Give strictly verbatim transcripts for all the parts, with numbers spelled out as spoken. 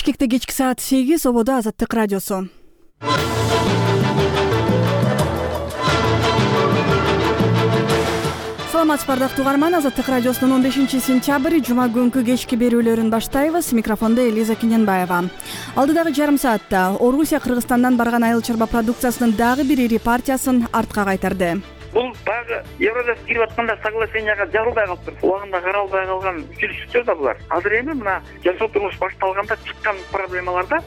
Бишкекте кечки саат сегиз, ободо Азаттык радиосу. Саламатсызбы ардактуу угарман, Азаттык радиосунун он бешинчи сентябрь жума күнкү кечки берүүлөрүн баштайбыз. Микрофондо Элиза Киненбаева. Алдыдагы жарым саатта Орусия Кыргызстандан барган айыл чарба продукциясынын дагы бир ири партиясын артка кайтарды. Бул баягы Евросоюз кирип атканда соглашенияга жарылбай калыптыр. Убагында каралбай калган үзүлүштөр да булар. Азыр эми мына жашоо турмуш башталганда чыккан проблемаларда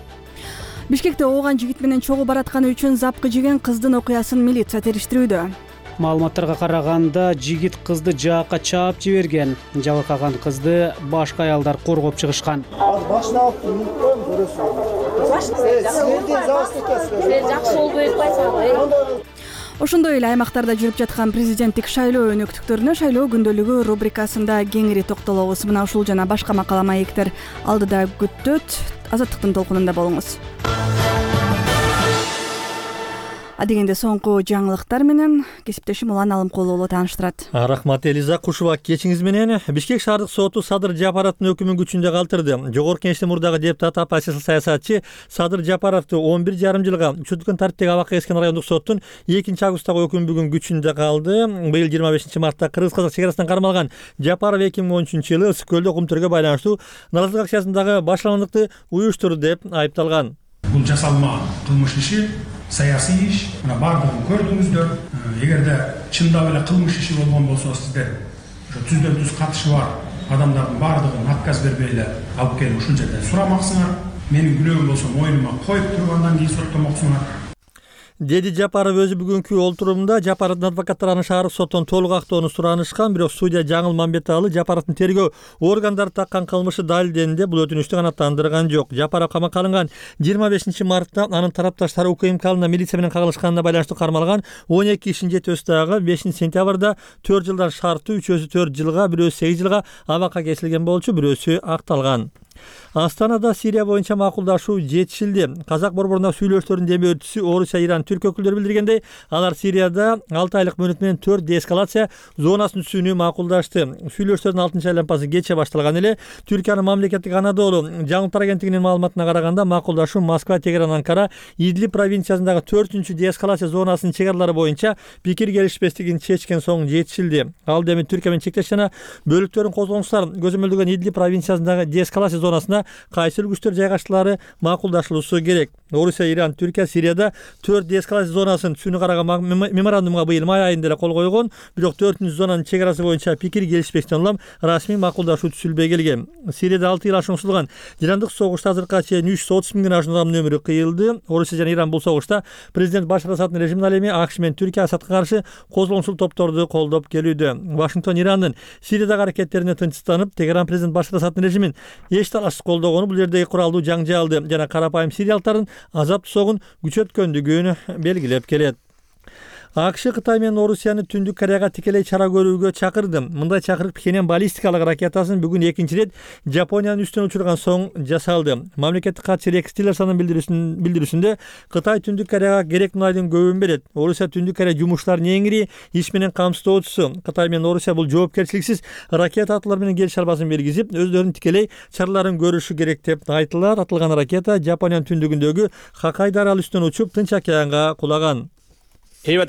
Бишкекте ооган жигит менен чогуу баратканы үчүн запкы жеген кыздын окуясын милиция териштирүүдө. Маалыматтарга караганда жигит кызды жаакка чаап жиберген. Жабыркаган кызды башка аялдар коргоп чыгышкан. Азыр башына алып мүмкүн көрөсүз. Башына жакшы болбой атпайсыңбы? Ошондой эле аймактарда жүрүп жаткан президенттик шайлоо өнөктүктөрүнө шайлоо күндөлүгү рубрикасында кеңири токтолобуз. Мына ушул жана башка макала маектер алдыда күтөт. Азаттыктын толкунунда болуңуз. Адегенде соңку жаңылыктар менен кесиптешим Улан Алымкулуу уулу тааныштырат. Рахмат Элиза, кушуба кечиңиз менен. Бишкек шаардык соту Садыр Жапаровдун өкүмүн күчүндө калтырды. Жогорку Кеңештин мурдагы депутаты оппозициялык саясатчы Садыр Жапаровду он бир жарым жылга күчөткөн тартиптеги абакка эскен райондук соттун экинчи августтагы өкүмү бүгүн күчүндө калды. Быйыл жыйырма бешинчи мартта Кыргыз-Казак чек арасынан кармалган Жапаров эки миң он үчүнчү жылы Ысык көлдө кумтөргө байланыштуу нааразычылык акциясындагы башаламдыкты уюштурду деп айыпталган. Бул жасалма кылмыш иши саясий иш, мына бардыгын көрдүңүздөр. Эгерде чындап эле кылмыш иши болгон болсо, сиздер ошо түздөн түз катышы бар адамдардын бардыгын отказ бербей эле алып келип ушул жерден сурамаксыңар. Менин күнөөм болсо моюнума коюп туруп андан кийин соттомоксуңар, деди Жапаров өзү бүгүнкү олтурумда. Жапаровдун адвокаттары аны шаардык соттон толук актоону суранышкан, бирок судья Жаңыл Мамбеталы Жапаровдун тергөө органдары таккан кылмышы далилденди, бул өтүнүштү канааттандырган жок. Жапаров камакка алынган жыйырма бешинчи мартта анын тарапташтары УКМКнын милиция менен кагылышканына байланыштуу кармалган он эки кишинин жетөөсү бешинчи сентябрда төрт жылдан шарттуу, үчөөсү төрт жылга, бирөөсү сегиз жылга абакка кесилген болчу, бирөөсү акталган. Астанада Сирия боюнча макулдашуу жетишилди. Казак борборуна сүйлөштөрдүн деме өтүүсү Орусия, Иран, Түрк өкүлдөрү билдиргендей, алар Сирияда алты айлык мөөнөт менен төрт деэскалация зонасын түзүүнү макулдашты. Сүйлөштөрдүн алтынчы айланпасы кече башталган эле. Түркиянын мамлекеттик Анадолу жаңылыктар агенттигинин маалыматына караганда, макулдашуу Москва, Тегеран, Анкара, Идлиб провинциясындагы төртүнчү деэскалация зонасынын чек аралары боюнча пикир келишпестигин чечкен соң жетишилди. Ал эми Түркия менен чектеш жана бөлүктөрдүн козголуңчулар көзөмөлдөгөн Идлиб провинциясындагы деэскалация зонасына кайсыл күчтөр жайгаштылары макулдашылуусу керек. Орусия, Иран, Түркия Сирияда төрт деэскалация зонасын түзүүнү караган меморандумга быйыл май айында эле кол койгон, бирок төртүнчү зонанын чек арасы боюнча пикир келишпестен улам расмий макулдашуу түзүлбөй келген. Сирияда алты жыл ашуун созулган жырандык согушта азыркыга чейин үч жүз отуз миңден ашуун адамдын өмүрү кыйылды. Орусия жана Иран бул согушта президент Башар Асаддын режимине ал эми АКШ менен Түркия Асадка каршы козголуңчул топторду колдоп келүүдө. Вашингтон Ирандын Сириядагы аракеттерине тынчсызданып, Тегеран президент Башар Асаддын режимин эч талашсыз колдогону, бул жердеги куралдуу жаңжалды жана карапайым сириялыктардын азап согун күчөткөндүгүн белгилеп келет. АКШ Кытай менен Орусияны Түндүк Кореяга тикелей чара көрүүгө чакырды. Мындай чакырык Пхеньян баллистикалык ракетасын бүгүн экинчи ирет Жапониянын үстүнөн учурган соң жасалды. Мамлекеттик катчы Рекс Тиллерсондун билдирүүсүндө Кытай Түндүк Кореяга керек мунайдын көбүн берет. Орусия Түндүк Корея жумуштарын эң ири иш менен камсыздоочусу. Кытай менен Орусия бул жоопкерчиликсиз ракета атуулар менен келишим албасын бергизип, өздөрүнүн тикелей чараларын көрүшү керек деп айтылат. Атылган ракета Жапониянын түндүгүндөгү Хоккайдо аралы үстүнөн учуп, Тынч океанга кулаган. Биз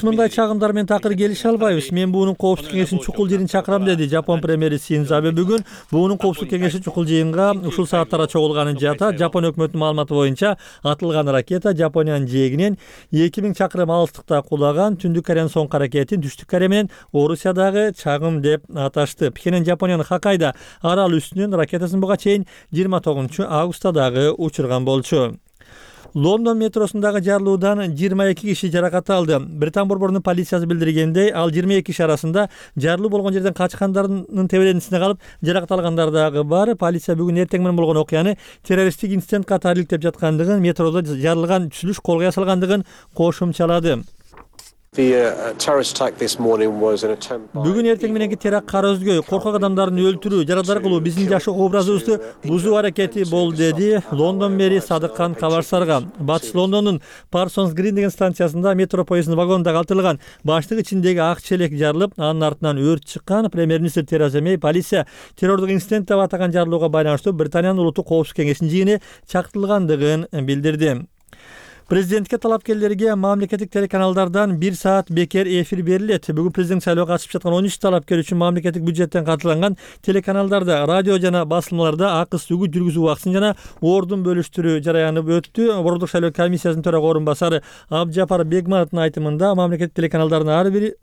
мындай чагымдар менен такыр келише албайбыз. Мен буунун коопсуздук кеңешинин чукул жыйынын чакырам, деди Жапон премьери Синдзо Абе бүгүн. Буунун коопсуздук кеңеши чукул жыйынга ушул сааттарда чогулганын жатат. Жапон өкмөтүнүн маалыматы боюнча атылган ракета Жапониянын жээгинен эки миң чакырым алыстыкта кулаган. Түндүк Кореянын соңку аракетин Түштүк Корея менен Орусиядагы чагым деп аташты. Пхеньян Жапониянын Хоккайдо аралы үстүнөн ракетасын буга чейин жыйырма тогузунчу августта дагы учурган болчу. Лондон метросундагы жарылуудан жыйырма эки киши жаракат алды. Британ борборунун полициясы билдиргендей, ал жыйырма эки киши арасында жарылуу болгон жерден качкандардын теберенисине калып жаракат алгандар дагы бар. Полиция бүгүн эртең менен болгон окуяны террористтик инцидент катары иликтеп жаткандыгын, метродо жарылган түзүлүш колго ясалгандыгын кошумчалады. Бүгүн эртең мененки теракт кара өзгөй, коркок адамдарды өлтүрүү, жарадар кылуу биздин жашоо образыбызды бузуу аракети болду, деди Лондон мэри Садыккан Кабарсарга. Батыш Лондондун Parsons Green деген станциясында метро поезддин вагонунда калтырылган баштык ичиндеги ак челек жарылып, анын артынан өрт чыккан. Премьер-министр Тереза Мэй полиция террордук инцидент деп атаган жарылууга байланыштуу Британиянын улуттук коопсуздук кеңешинин жыйыны чактырылгандыгын билдирди. Президентке талапкерлерге мамлекеттик телеканалдардан бир саат бекер эфир берилет. Бүгүн президент шайлоого катышып жаткан он үч талапкер үчүн мамлекеттик бюджеттен катылган телеканалдарда, радио жана басылмаларда акыс үгүт жүргүзүү убактысын жана ордун бөлүштүрүү жараяны өттү. Борбордук шайлоо комиссиясынын төрага орун басары Абджапар Бегмановдун айтымында мамлекеттик телеканалдардын ар бир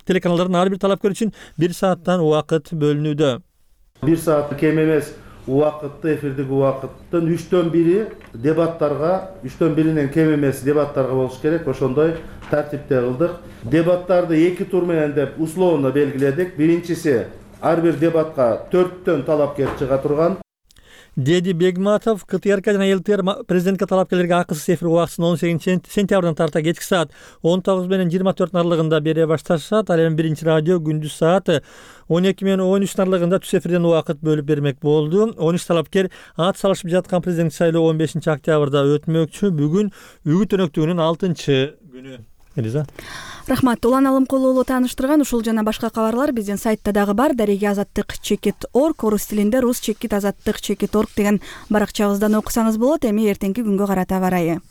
телеканалдардын ар бир талапкер үчүн бир сааттан убакыт бөлүнүүдө. бир саат кем эмес убакытты, эфирдик убакыттын үчтөн бири дебаттарга, үчтөн биринен кем эмес дебаттарга болуш керек. Ошондой тартипте кылдык. Дебаттарды эки тур менен деп условно белгиледик. Биринчиси ар бир дебатка төрттөн талапкер чыга турган. Деди Бегматов КТРК жана ЛТР президентке талапкерлерге акысыз эфир убактысын он сегизинчи сентябрдан тарта кечки саат он тогуз менен жыйырма төрт аралыгында бере башташат. Ал эми биринчи радио күндүз саат он эки менен он үч аралыгында түз эфирден убакыт бөлүп бермек болду. он үч талапкер ат салышып жаткан президент шайлоо он бешинчи октябрда өтмөкчү. Бүгүн үгүт өнөктүгүнүн алтынчы күнү. Элиза. Рахмат. Улан Алымкулуулу тааныштырган ушул жана башка кабарлар биздин сайтта дагы бар. Дареги азаттык чекит орг, орус тилинде рус чекит азаттык чекит орг деген баракчабыздан окусаңыз болот. Эми эртеңки күнгө карата барайы.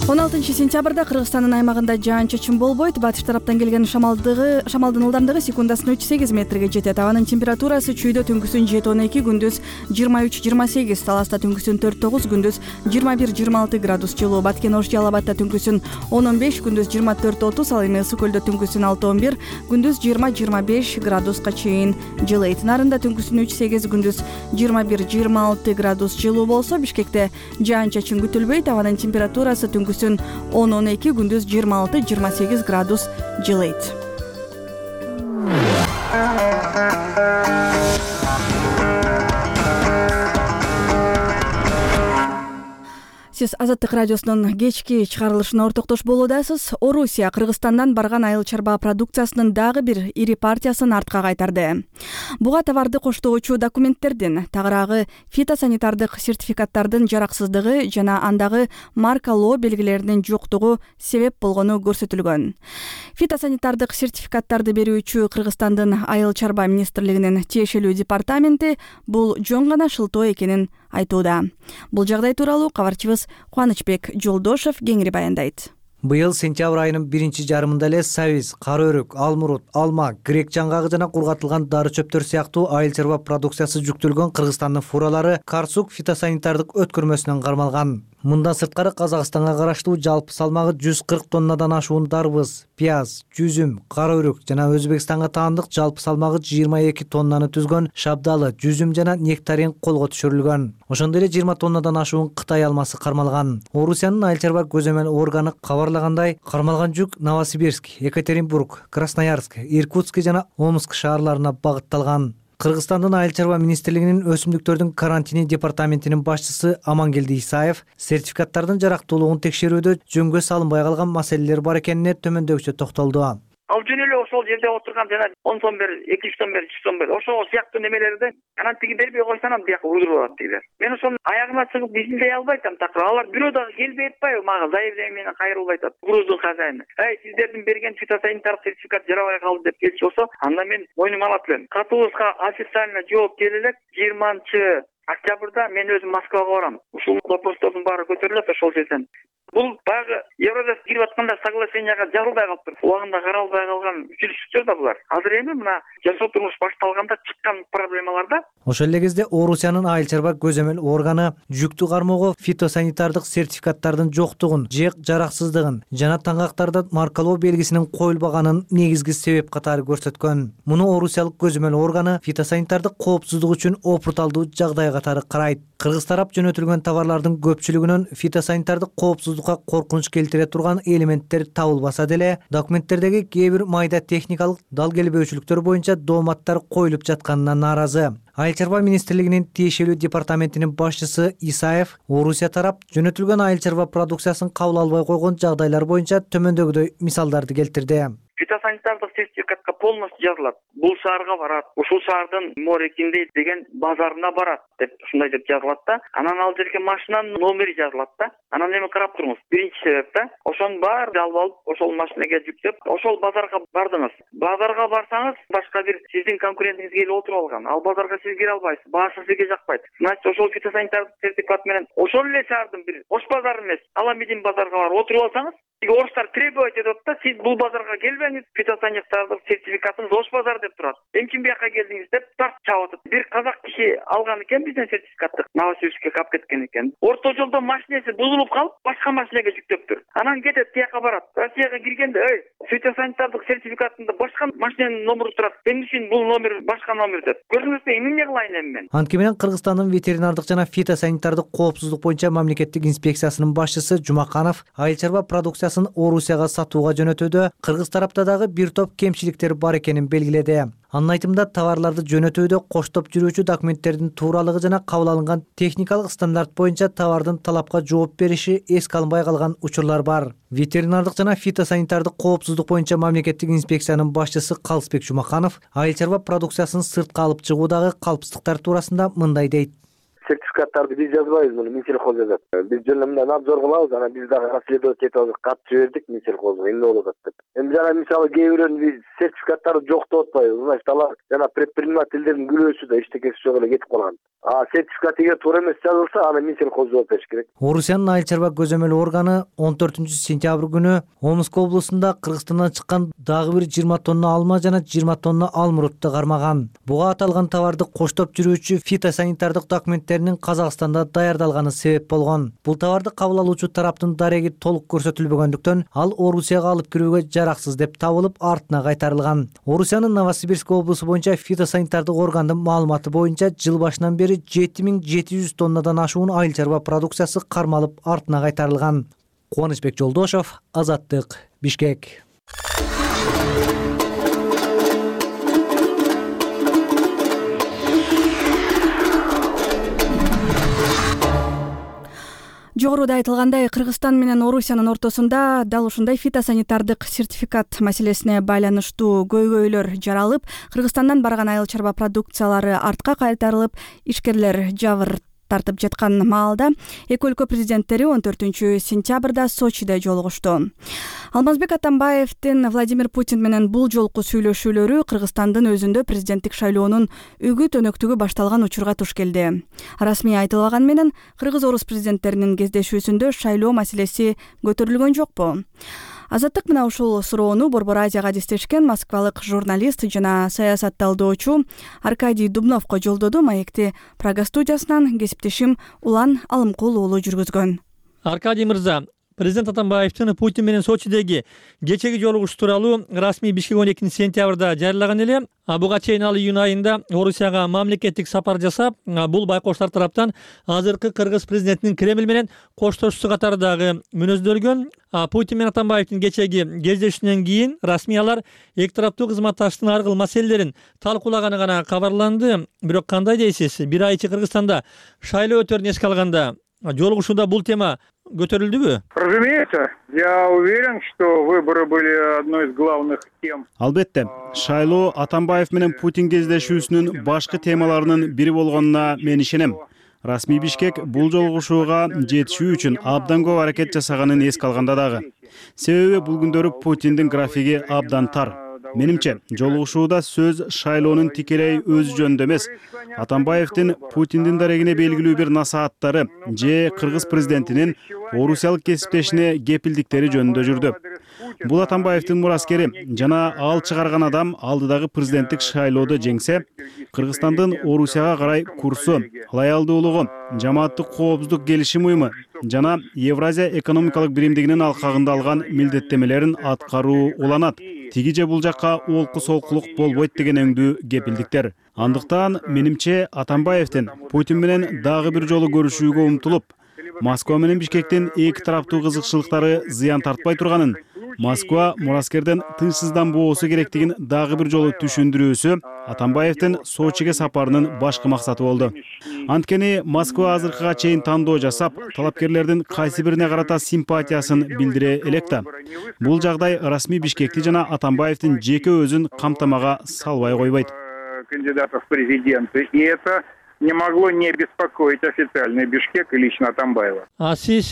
он алтынчы сентябрда Кыргызстандын аймагында жаан-чачын болбойт. Батыш тараптан келген шамалдыгы шамалдын ылдамдыгы секундасына үч сегиз метрге жетет. Абанын температурасы чүйдө түнкүсүн жети он эки, күндүз жыйырма үч жыйырма сегиз, таласта түнкүсүн төрт тогуз, күндүз жыйырма бир жыйырма алты градус жылуу. Баткен Ош Жалал Абадта түнкүсүн он он беш, күндүз жыйырма төрт отуз, ал эми Ысык Көлдө түнкүсүн алты он бир, күндүз жыйырма жыйырма беш градуска чейин жылыйт. Нарында түнкүсүн үч сегиз, күндүз жыйырма бир жыйырма алты градус жылуу болсо, Бишкекте жаан-чачын күтүлбөйт. Абанын температурасы түнкүсүн он он эки, күндүз жыйырма алты жыйырма сегиз градус жылыйт. Сиз Азаттык радиосунун кечки чыгарылышына ортоктош болуудасыз. Орусия Кыргызстандан барган айыл чарба продукциясынын дагы бир ири партиясын артка кайтарды. Буга товарды коштоочу документтердин, тагыраагы фитосанитардык сертификаттардын жараксыздыгы жана андагы маркалоо белгилеринин жоктугу себеп болгону көрсөтүлгөн. Фитосанитардык сертификаттарды берүүчү Кыргызстандын айыл чарба министрлигинин тиешелүү департаменти бул жөн гана шылтоо экенин айтууда. Бул жагдай тууралуу кабарчыбыз Кубанычбек Жолдошев кеңири баяндайт. Быйыл сентябрь айынын биринчи жарымында эле сабиз, кара өрүк, алмурут, алма, грек жаңгагы жана кургатылган дары чөптөр сыяктуу айыл чарба продукциясы жүктөлгөн Кыргызстандын фуралары Карсук фитосанитардык өткөрмөсүнөн кармалган. Мындан сырткары Казакстанга караштуу жалпы салмагы жүз кырк тоннадан ашуун дарбыз, пияз, жүзүм, кара өрүк жана Өзбекстанга таандык жалпы салмагы жыйырма эки тоннаны түзгөн шабдалы, жүзүм жана нектарин колго түшүрүлгөн. Ошондой эле жыйырма тоннадан ашуун Кытай алмасы кармалган. Орусиянын айыл чарба көзөмөл органы кабарлагандай, кармалган жүк Новосибирск, Екатеринбург, Красноярск, Иркутск жана Омск шаарларына багытталган. Кыргызстандын айыл чарба министрлигинин өсүмдүктөрдүн карантини департаментинин башчысы Амангелди Исаев сертификаттардын жарактуулугун текшерүүдө жөнгө салынбай калган маселелер бар экенине төмөндөгүчө токтолду. Ал жөн эле ошол жерде отурган жана он сом бер, эки жүз сом бер, жүз сом бер, ошол сыяктуу немелерди карантиги бербей койсоң анан бияка уйдуруп алат дейлер. Мен ошонун аягына чыгып изилдей албай атам такыр. Алар бирөө дагы келбей атпайбы мага заявление менен кайрылбай атат. Груздун хозяйыны. Эй, сиздердин берген фитосанитар сертификат жарабай калды деп келчү болсо, анда мен мойнума алат элем. Катыбызга официально жооп келе элек жыйырманчы октябрда мен өзүм Москвага барам. Ушул вопростордун баары көтөрүлөт ошол жерден. Бул баягы Евродас кирип атканда соглашенияга жарылбай калыптыр. Убагында каралбай калган үзүлүштөр да булар. Азыр эми мына жашоо турмуш башталганда чыккан проблемаларда. Ошол эле кезде Орусиянын айыл чарба көзөмөл органы жүктү кармоого фитосанитардык сертификаттардын жоктугун, же жараксыздыгын жана таңгактарда маркалоо белгисинин коюлбаганын негизги себеп катары көрсөткөн. Муну Орусиялык көзөмөл органы фитосанитардык коопсуздук үчүн опурталдуу жагдайга катары карайт. Кыргыз тарап жөнөтүлгөн товарлардын көпчүлүгүнөн фитосанитардык коопсуздукка коркунуч келтире турган элементтер табылбаса деле, документтердеги кээ бир майда техникалык дал келбөөчүлүктөр боюнча дооматтар коюлуп жатканына нааразы. Айыл чарба министрлигинин тиешелүү департаментинин башчысы Исаев Орусия тарап жөнөтүлгөн айыл чарба продукциясын кабыл албай койгон жагдайлар боюнча төмөндөгүдөй мисалдарды келтирди. Фитосанитардык сертификатка полностью жазылат. Бул шаарга барат, ушул шаардын Морекинде деген базарына барат деп ушундай деп жазылат да. Анан ал жерге машинанын номери жазылат да. Анан эми карап туруңуз. Биринчи себеп да. Ошонун баарын алып алып, ошол машинеге жүктөп, ошол базарга бардыңыз. Базарга барсаңыз, башка бир сиздин конкурентиңиз келип отуруп алган. Ал базарга сиз кире албайсыз. Баасы сизге жакпайт. Значит, ошол фитосанитардык сертификат менен ошол эле шаардын бир ош базары эмес, Аламедин базарга барып отуруп алсаңыз, орустар требовать этет да, сиз бул базарга келбеңиз, фитосанитардык сертификатыңыз ош базар деп турат. Эмчи бияка келдиңиз деп тарт чабып атат. Бир казак киши алган экен бизден сертификатты, Новосибирскке калып кеткен экен. Орто жолдо машинеси бузулуп калып, башка машинеге жүктөптүр. Анан кетет, тияка барат. Россияга киргенде, эй, фитосанитардык сертификатында башка машиненин номери турат. Эмне үчүн бул номер башка номер деп. Көрдүңүзбү, эмне кылайын эми мен? Анткени менен Кыргызстандын ветеринардык жана фитосанитардык коопсуздук боюнча мамлекеттик инспекциясынын башчысы Жумаканов айыл чарба продукциясын Орусияга сатууга жөнөтүүдө Кыргыз тарапта дагы бир топ кемчиликтер бар экенин белгиледи. Анын айтымында товарларды жөнөтүүдө коштоп жүрүүчү документтердин тууралыгы жана кабыл алынган техникалык стандарт боюнча товардын талапка жооп бериши эске алынбай калган учурлар бар. Ветеринардык жана фитосанитардык коопсуздук боюнча мамлекеттик инспекциянын башчысы Калысбек Жумаканов айыл чарба продукциясын сыртка алып чыгуудагы калпсыздыктар туурасында мындай дейт. Сертификаттарды биз жазбайбыз, муну Минсельхоз жазат. Биз жөн эле мындай надзор кылабыз, анан биз дагы расследовать этип атып кат жибердик Минсельхозго, эмне болуп атат деп. Эми жана мисалы кээ бирөөнүн биз сертификаттарды жоктоп атпайбыз. Значит, алар жана предпринимательдердин күлөөсү да эчтекеси жок эле кетип калган. А сертификат эгер туура эмес жазылса, аны Минсельхоз жооп бериш керек. Орусиянын айыл чарба көзөмөл органы он төртүнчү сентябрь күнү Омск облусунда Кыргызстандан чыккан дагы бир жыйырма тонна алма жана жыйырма тонна алмурутты кармаган. Буга аталган товарды коштоп жүрүүчү фитосанитардык документтеринин Казакстанда даярдалганы себеп болгон. Бул товарды кабыл алуучу тараптын дареги толук көрсөтүлбөгөндүктөн ал Орусияга алып кирүүгө жараксыз деп табылып, артына кайтарылган. Орусиянын Новосибирск облусу боюнча фитосанитардык органдын маалыматы боюнча жыл башынан бери жети миң жети жүз тоннадан ашуун айыл чарба продукциясы кармалып, артына кайтарылган. Кубанычбек Жолдошов, Азаттык, Бишкек. Жогоруда айтылгандай, Кыргызстан менен Орусиянын ортосунда дал ушундай фитосанитардык сертификат маселесине байланыштуу көйгөйлөр жаралып, Кыргызстандан барган айыл чарба продукциялары артка кайтарылып, ишкерлер жабыр тартып жаткан маалда эки өлкө президенттери он төртүнчү сентябрда Сочиде жолугушту. Алмазбек Атамбаевдин Владимир Путин менен бул жолку сүйлөшүүлөрү Кыргызстандын өзүндө президенттик шайлоонун үгүт өнөктүгү башталган учурга туш келди. Расмий айтылбаган менен кыргыз-орус президенттеринин кездешүүсүндө шайлоо маселеси көтөрүлгөн жокпу? Азаттык мына ушул суроону Борбор Азияга адистешкен москвалык журналист жана саясат талдоочу Аркадий Дубновго жолдоду. Маекти Прага студиясынан кесиптешим Улан Алымкул уулу жүргүзгөн. Аркадий мырза, президент Атамбаевдин Путин менен Сочидеги кечеги жолугуш тууралуу расмий Бишкек он экинчи сентябрда жарыялаган эле. Буга чейин ал июнь айында Орусияга мамлекеттик сапар жасап, бул байкоштор тараптан азыркы кыргыз президентинин Кремль менен коштошуусу катары дагы мүнөздөлгөн. Путин менен Атамбаевдин кечеги кездешүүнөн кийин расмий алар эки тараптуу кызматташтыктын ар кыл маселелерин талкуулаганы гана кабарланды. Бирок кандай дейсиз? Бир ай ичи Кыргызстанда шайлоо өтөрүн эске алганда жолугушууда бул тема көтөрүлдүбү? Разумеется, я уверен, что выборы были одной из главных тем. Албетте, шайлоо Атамбаев менен Путин кездешүүсүнүн башкы темаларынын бири болгонуна мен ишенем. Расмий Бишкек бул жолугушууга жетишүү үчүн абдан көп аракет жасаганын эске алганда дагы. Себеби бул күндөрү Путиндин графиги абдан тар. Менимче, жолугушууда сөз шайлоонун тикелей өзү жөнүндө эмес, Атамбаевдин Путиндин дарегине белгилүү бир насааттары же кыргыз президентинин орусиялык кесиптешине кепилдиктери жөнүндө жүрдү. Бул Атамбаевдин мураскери жана ал чыгарган адам алдыдагы президенттик шайлоодо жеңсе, Кыргызстандын Орусияга карай курсу, лоялдуулугу, жамааттык коопсуздук келишим уюму жана Евразия экономикалык биримдигинин алкагында алган милдеттемелерин аткаруу уланат. тиги же бул жакка олку солкулук болбойт деген өңдүү кепилдиктер. Андыктан менимче Атамбаевдин Путин менен дагы бир жолу көрүшүүгө умтулуп, Москва менен Бишкектин эки тараптуу кызыкчылыктары зыян тартпай турганын, Москва мураскерден тынчсызданбоосу керектигин дагы бир жолу түшүндүрүүсү Атамбаевдин Сочиге сапарынын башкы максаты болду. Анткени Москва азыркыга чейин тандоо жасап, талапкерлердин кайсы бирине карата симпатиясын билдире элек да. Бул жагдай расмий Бишкекти жана Атамбаевдин жеке өзүн камтамага салбай койбойт. Кандидатов в президенты, и это не могло не беспокоить официальный Бишкек и лично Атамбаева. А сиз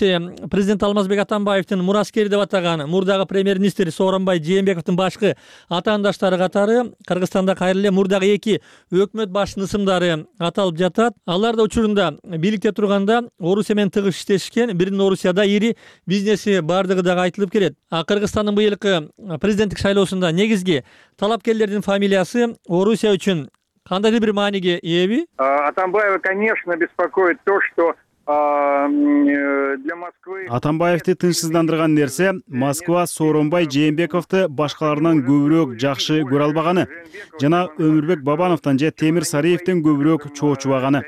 президент Алмазбек Атамбаевдин мураскери деп атаган мурдагы премьер-министр Сооронбай Жээнбековдун башкы атаандаштары катары Кыргызстанда кайра эле мурдагы эки өкмөт башчынын ысымдары аталып жатат. Алар да учурунда бийликте турганда Орусия менен тыгыз иштешкен, биринин Орусияда ири бизнеси бардыгы дагы айтылып келет. А Кыргызстандын быйылкы президенттик шайлоосунда негизги талапкерлердин фамилиясы Орусия үчүн кандайдыр бир мааниге ээби? Атамбаева, конечно, беспокоит то, что для Москвы... Атамбаевди тынчсыздандырган нерсе Москва Сооронбай Жээнбековду башкаларынан көбүрөөк жакшы көрө албаганы жана Өмүрбек Бабановдон же Темир Сариевден көбүрөөк чоочубаганы.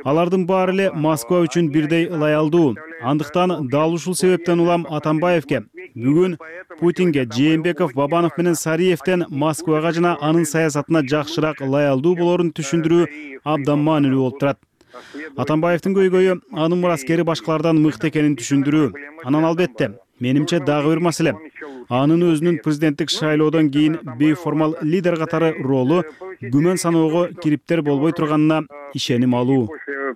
Алардын баары эле Москва үчүн бирдей ылайалдуу. Андыктан дал ушул себептен улам Атамбаевге бүгүн Путинге Жээнбеков, Бабанов менен Сариевден Москвага жана анын саясатына жакшыраак ылайалдуу болорун түшүндүрүү абдан маанилүү болуп турат. Атамбаевдин көйгөйү анын мураскери башкалардан мыкты экенин түшүндүрүү. Анан албетте, менимче дагы бир маселе. Анын өзүнүн президенттик шайлоодон кийин бейформал лидер катары ролу күмөн саноого кириптер болбой турганына ишеним алуу.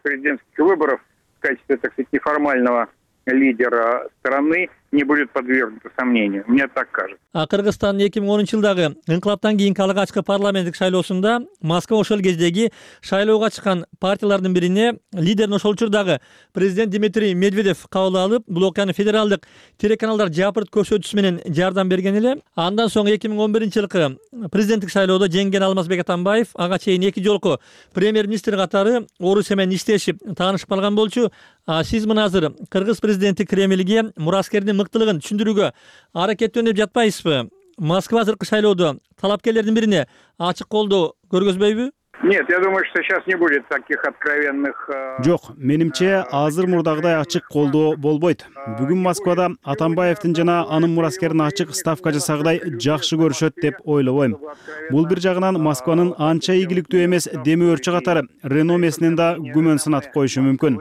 Президентских выборов в качестве, так сказать, неформального лидера страны не будет подвергнуто сомнению. Мне так кажется. А Кыргызстандын эки миң онунчу жылдагы инкылаптан кийинки алгачкы парламенттик шайлоосунда Москва ошол кездеги шайлоого чыккан партиялардын бирине лидерин ошол учурдагы президент Дмитрий Медведев кабыл алып, бул окуяны федералдык телеканалдар жапырт көрсөтүүсү менен жардам берген эле. Андан соң эки миң он биринчи жылкы президенттик шайлоодо жеңген Алмазбек Атамбаев ага чейин эки жолку премьер-министр катары Орусия менен иштешип таанышып калган болчу. А сиз мына азыр Кыргыз президенти Кремльге мураскердин мыктылыгын түшүндүрүүгө аракеттөнүп жатпайсызбы? Москва азыркы шайлоодо талапкерлердин бирине ачык колдоо көргөзбөйбү? Нет, я думаю, что сейчас не будет таких откровенных... Жок, менимче азыр мурдагыдай ачык колдоо болбойт. Бүгүн Москвада Атамбаевдин жана анын мураскерин ачык ставка жасагыдай жакшы көрүшөт деп ойлобойм. Бул бир жагынан Москванын анча ийгиликтүү эмес демөөрчү катары реномесинен да күмөн сынатып коюшу мүмкүн.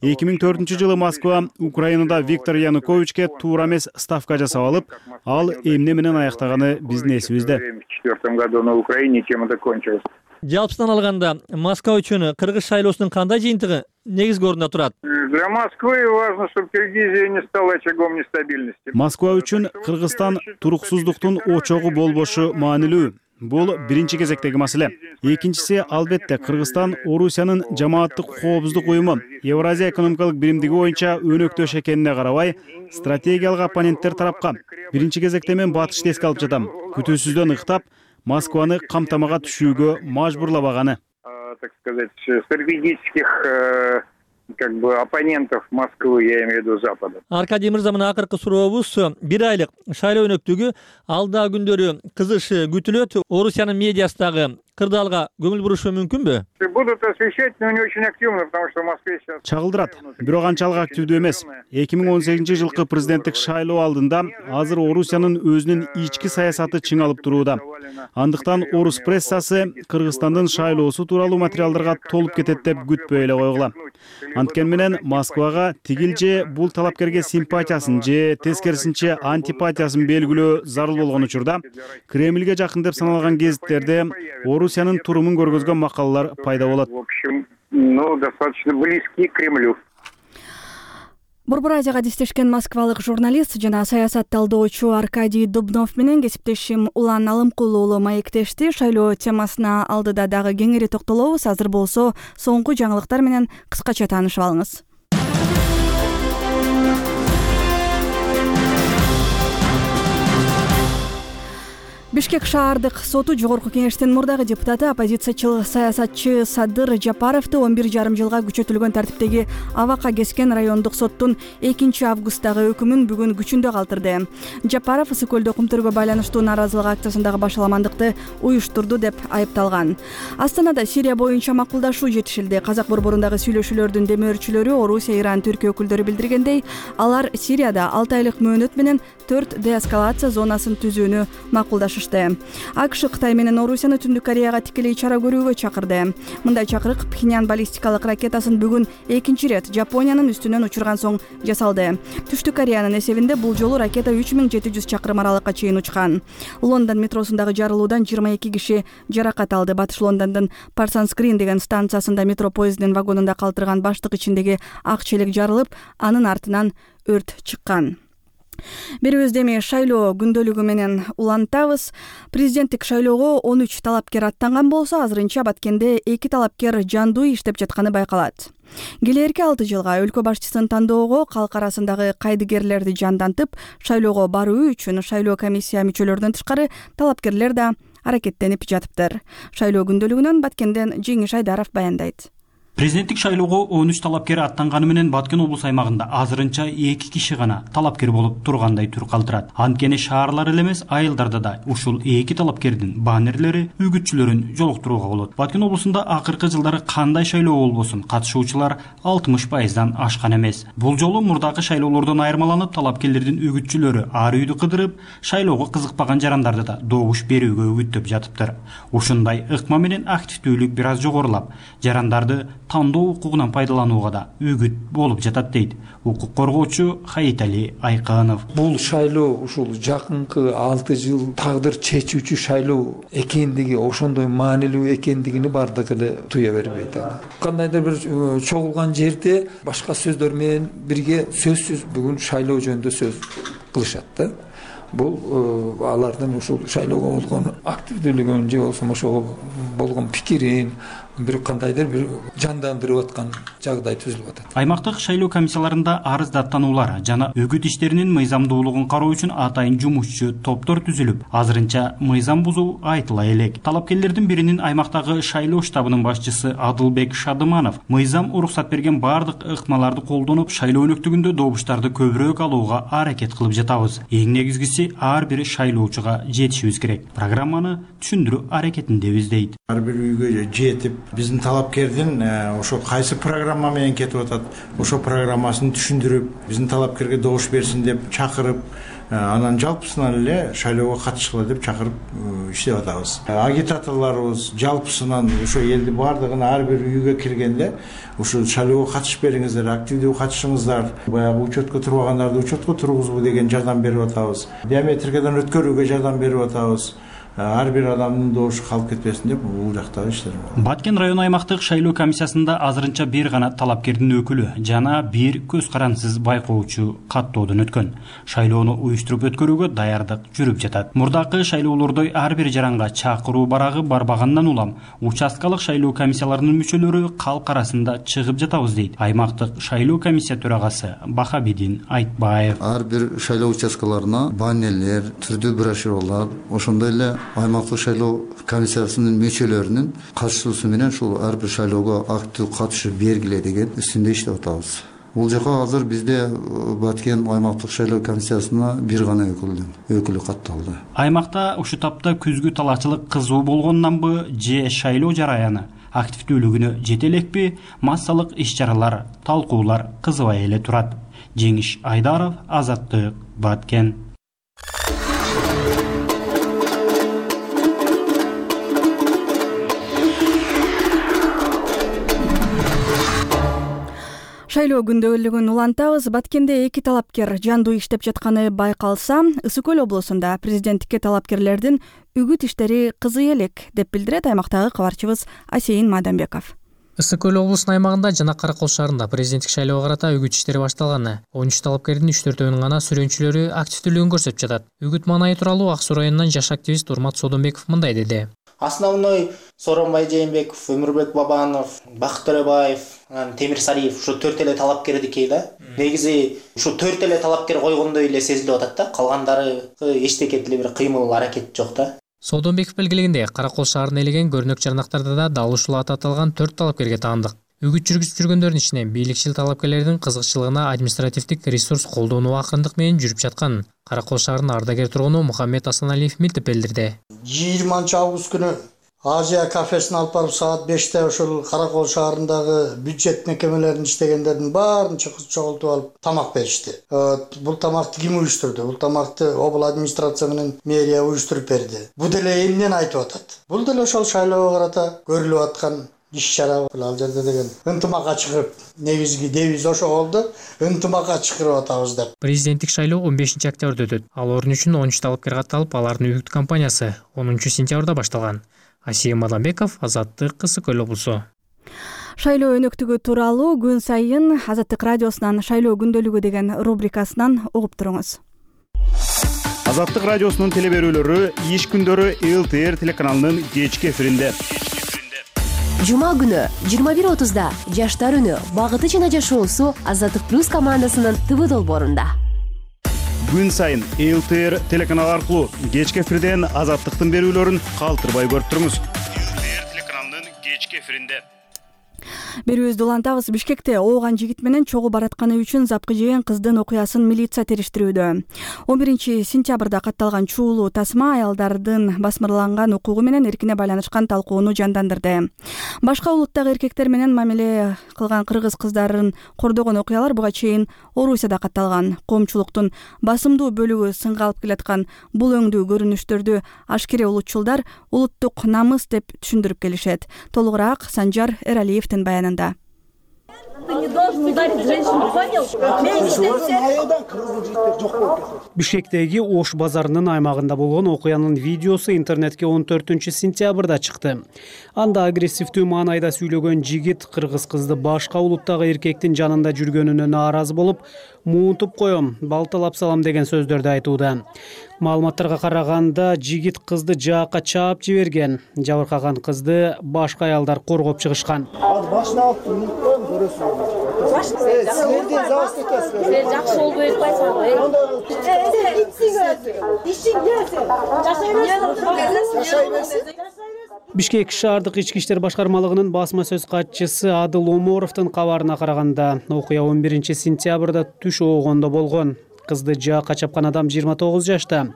эки миң төртүнчү жылы Москва Украинада Виктор Януковичке туура эмес ставка жасап алып, ал эмне менен аяктаганы биздин эсибизде. В две тысячи четвёртом году на Украине тем это кончилось. Жалпысынан алганда Москва үчүн Кыргыз шайлоосунун кандай жыйынтыгы негизги орунда турат? Для Москвы важно, чтобы Киргизия не стала очагом нестабильности. Москва үчүн Кыргызстан туруксуздуктун очогу болбошу маанилүү. Бул биринчи кезектеги маселе. Экинчиси, албетте, Кыргызстан Орусиянын жамааттык коопсуздук уюму Евразия экономикалык биримдиги боюнча өнөктөш экенине карабай, стратегиялык оппоненттер тарапка биринчи кезекте мен батышты эске алып жатам. Күтүүсүздөн ыктап, Москваны камтамага түшүүгө мажбурлабаганы. Так сказать, стратегических как бы оппонентов Москвы, я имею в виду Запада. Аркадий мырза, мына акыркы сурообуз, бир айлык шайлоо өнөктүгү алдагы күндөрү кызыш күтүлөт. Орусиянын медиасы дагы кырдаалга көңүл бурушу мүмкүнбү? Будут освещать, но не очень активно, потому что в Москве сейчас... Чагылдырат, бирок анчалык активдүү эмес. эки миң он сегизинчи жылкы президенттик шайлоо алдында азыр Орусиянын өзүнүн ички саясаты чыңалып турууда. Андыктан орус прессасы Кыргызстандын шайлоосу тууралуу материалдарга толуп кетет деп күтпөй эле койгула. Анткени менен Москвага тигил же бул талапкерге симпатиясын же тескерисинче антипатиясын белгилөө зарыл болгон учурда Кремльге жакын деп саналган гезиттерде Орусиянын турумун көргөзгөн макалалар пайда болот. В общем, ну, достаточно близки к Кремлю. Борбор Азияга диштешкен москвалык журналист жана саясат талдоочу Аркадий Дубнов менен кесиптешим Улан Алымкул уулу маектешти. Шайлоо темасына алдыда дагы кеңири токтолобуз. Азыр болсо соңку жаңылыктар менен кыскача таанышып алыңыз. Бишкек шаардык соту жогорку кеңештин мурдагы депутаты оппозициячыл саясатчы Садыр Жапаровду он бир жарым жылга күчөтүлгөн тартиптеги Абакка Кескен райондук соттун экинчи августтагы өкүмүн бүгүн күчүндө калтырды. Жапаров ысык көлдө кумтөргө байланыштуу нааразылык акциясындагы башаламандыкты уюштурду деп айыпталган. Астанада Сирия боюнча макулдашуу жетишилди. Казак борборундагы сүйлөшүүлөрдүн демөөрчүлөрү Орусия, Иран, Түркия өкүлдөрү билдиргендей, алар Сирияда алты айлык мөөнөт менен төрт деэскалация зонасын түзүүнү макулдашты. АКШ Кытай менен Орусияны Түндүк Кореяга тикелей чара көрүүгө чакырды. Мындай чакырык Пхеньян баллистикалык ракетасын бүгүн экинчи ирет Жапониянын үстүнөн учурган соң жасалды. Түштүк Кореянын эсебинде бул жолу ракета үч миң жети жүз чакырым аралыкка чейин учкан. Лондон метросундагы жарылуудан жыйырма эки киши жаракат алды. Батыш Лондондун Парсанс Грин деген станциясында метро поездинин вагонунда калтырган баштык ичиндеги ак челек жарылып, анын артынан өрт чыккан. Берибизде эми шайлоо күндөлүгү менен улантабыз. Президенттик шайлоого он үч талапкер аттанган болсо, азырынча Баткенде эки талапкер жандуу иштеп жатканы байкалат. Келээрки алты жылга өлкө башчысын тандоого калк арасындагы кайдыгерлерди жандантып, шайлоого баруу үчүн шайлоо комиссия мүчөлөрүнөн тышкары талапкерлер да аракеттенип жатыптыр. Шайлоо күндөлүгүнөн Баткенден Жеңиш Айдаров баяндайт. Президенттик шайлоого он үч талапкер аттанганы менен Баткен облус аймагында азырынча эки киши гана талапкер болуп тургандай түр калтырат. Анткени шаарлар эле эмес, айылдарда да ушул эки талапкердин баннерлери, үгүтчүлөрүн жолуктурууга болот. Баткен облусунда акыркы жылдары кандай шайлоо болбосун, катышуучулар алтымыш пайыздан ашкан эмес. Бул жолу мурдагы шайлоолордон айырмаланып, талапкерлердин үгүтчүлөрү ар үйдү кыдырып, шайлоого кызыкпаган жарандарды да добуш берүүгө үгүттөп жатыптыр. Ушундай ыкма менен активдүүлүк бир аз жогорулап, жарандарды тандоо укугунан пайдаланууга да үгүт болуп жатат дейт укук коргоочу Хаитали Айканов. Бул шайлоо ушул жакынкы алты жыл тагдыр чечүүчү шайлоо экендиги, ошондой маанилүү экендигини бардыгы эле туя бербейт. Кандайдыр бир чогулган жерде башка сөздөр менен бирге сөзсүз бүгүн шайлоо жөнүндө сөз кылышат да. Бул алардын ушул шайлоого болгон активдүүлүгүн же болбосо ошого болгон пикирин бир кандайдыр бир жандандырып аткан жагдай түзүлүп атат. Аймактык шайлоо комиссияларында арыз даттануулар жана үгүт иштеринин мыйзамдуулугун кароо үчүн атайын жумушчу топтор түзүлүп, азырынча мыйзам бузуу айтыла элек. Талапкерлердин биринин аймактагы шайлоо штабынын башчысы Адылбек Шадыманов мыйзам уруксат берген бардык ыкмаларды колдонуп, шайлоо өнөктүгүндө добуштарды көбүрөөк алууга аракет кылып жатабыз. Эң негизгиси ар бир шайлоочуга жетишибиз керек. Программаны түшүндүрүү аракетиндебиз дейт. Ар бир үйгө жетип, биздин талапкердин ошо кайсы программа менен кетип атат, ошо программасын түшүндүрүп, биздин талапкерге добуш берсин деп чакырып, анан жалпысынан эле шайлоого катышкыла деп чакырып иштеп атабыз. Агитаторлорубуз жалпысынан ошо элди бардыгын ар бир үйгө киргенде ушул шайлоого катышып бериңиздер, активдүү катышыңыздар, баягы учетко турбагандарды учетко тургузуу деген жардам берип атабыз. Биометрикадан өткөрүүгө жардам берип атабыз. Ар бир адамдын добушу калып кетпесин деп бул жактагы иштер. Баткен район аймактык шайлоо комиссиясында азырынча бир гана талапкердин өкүлү жана бир көз карансыз байкоочу каттоодон өткөн. Шайлоону уюштуруп өткөрүүгө даярдык жүрүп жатат. Мурдакы шайлоолордой ар бир жаранга чакыруу барагы барбагандан улам участкалык шайлоо комиссияларынын мүчөлөрү калк арасында чыгып жатабыз дейт аймактык шайлоо комиссия төрагасы Бахабидин Айтбаев. Ар бир шайлоо участкаларына баннерлер, түрдүү брошюралар, ошондой эле аймактык шайлоо комиссиясынын мүчөлөрүнүн катышуусу менен ушул ар бир шайлоого активдүү катышып бергиле деген үстүндө иштеп атабыз. Бул жака азыр бизде Баткен аймактык шайлоо комиссиясына бир гана өкүлдүн өкүлү катталды. Аймакта ушул тапта күзгү талаачылык кызуу болгонунанбы же шайлоо жараяны активдүүлүгүнө жете элекпи, массалык иш-чаралар, талкуулар кызыбай эле турат. Жеңиш Айдаров, Азаттык, Баткен. Шайлоо күндөлүгүн улантабыз. Баткенде эки талапкер жандуу иштеп жатканы байкалса, Ысык көл облусунда президенттикке талапкерлердин үгүт иштери кызый элек деп билдирет аймактагы кабарчыбыз Асейин Маданбеков. Ысык көл облусунун аймагында жана Каракол шаарында президенттик шайлоого карата үгүт иштери башталган. он үч талапкердин үч төртөөнүн гана сүрөөнчүлөрү активдүүлүгүн көрсөтүп жатат. Үгүт маанайы тууралуу Ак Суу районунан жаш активист Урмат Содонбеков мындай деди. Основной Сооронбай Жээнбеков, Өмүрбек Бабанов, Бакыт Төрөбаев, Темир Сариев ушу төрт эле талапкердики да. Негизи ушу төрт эле талапкер койгондой эле сезилип атат да. Калгандары эчтеке деле бир кыймыл аракет жок да. Соодонбеков белгилегендей, Каракол шаарына элеген көрүнөк жарнактарда да дал ушул аты аталган төрт талапкерге таандык. Үгүт жүргүзүп жүргөндөрдүн ичинен бийликчил талапкерлердин кызыкчылыгына административдик ресурс колдонуу акырындык менен жүрүп жатканын Каракол шаарынын ардагер тургуну Мухаммед Асаналиев милтип билдирди. жыйырманчы август күнү Азия кафесин алып барып саат беште ошол Каракол шаарындагы бюджет мекемелерин иштегендердин баарын чогултуп алып тамак беришти. Бул тамакты ким уюштурду? Бул тамакты обл администрация менен мэрия уюштуруп берди. Бул деле эмнени айтып атат? Бул деле ошол шайлоого карата көрүлүп аткан иш-чара. Ал жерде деген ынтымакка чыгып, негизги девиз ошо болду. Ынтымакка чыгырып атабыз деп. Президенттик шайлоо он бешинчи октябрда өтөт. Ал орун үчүн он үч талапкер катталып, алардын үгүт кампаниясы онунчу сентябрда башталган. Асия Мадамбеков, Азаттык, Ысык Көл облусу. Шайлоо өнөктүгү тууралуу күн сайын Азаттык радиосунун шайлоо күндөлүгү деген рубрикасынан угуп туруңуз. Азаттык радиосунун телеберүүлөрү иш күндөрү эл тэ эр телеканалынын кечки эфиринде. Жума күнү жыйырма бир отузда Жаштар үнү багыты жана жашоосу Азаттык плюс командасынын ТВ долбоорунда. Күн сайын эл тэ эр телеканалы аркылуу кечки эфирден Азаттыктын берүүлөрүн калтырбай көрүп туруңуз. эл тэ эр телеканалынын кечки эфиринде. Берүүбүздү улантабыз. Бишкекте ооган жигит менен чогуу баратканы үчүн запкы жеген кыздын окуясын милиция териштирүүдө. он биринчи сентябрда катталган чуулуу тасма аялдардын басмырланган укугу менен эркине байланышкан талкууну жандандырды. Башка улуттагы эркектер менен мамиле кылган кыргыз кыздарын кордогон окуялар буга чейин Орусияда катталган. Коомчулуктун басымдуу бөлүгү сынга алып келаткан бул өңдүү көрүнүштөрдү ашкере улутчулдар улуттук намыс деп түшүндүрүп келишет. Толугураак Санжар Эралиевдин баянында. Ты не должен ударить женщину, понял? Бишкектеги Ош базарынын аймагында болгон окуянын видеосу интернетке он төртүнчү сентябрда чыкты. Анда агрессивдүү маанайда сүйлөгөн жигит кыргыз кызды башка улуттагы эркектин жанында жүргөнүнө нааразы болуп, муунтуп коем, балталап салам деген сөздөрдү айтууда. Маалыматтарга караганда жигит кызды жаакка чаап жиберген. Жабыркаган кызды башка аялдар коргоп чыгышкан. Башына алып коем, көрөсүң. Силерден завоз кетесиз. Сен жакшы болбой атпайсың го. Бишкек шаардык ички иштер башкармалыгынын басма сөз катчысы Адыл Оморовдун кабарына караганда, окуя он биринчи сентябрда түш оогондо болгон. Кызды жаакка чапкан адам жыйырма тогуз жашта.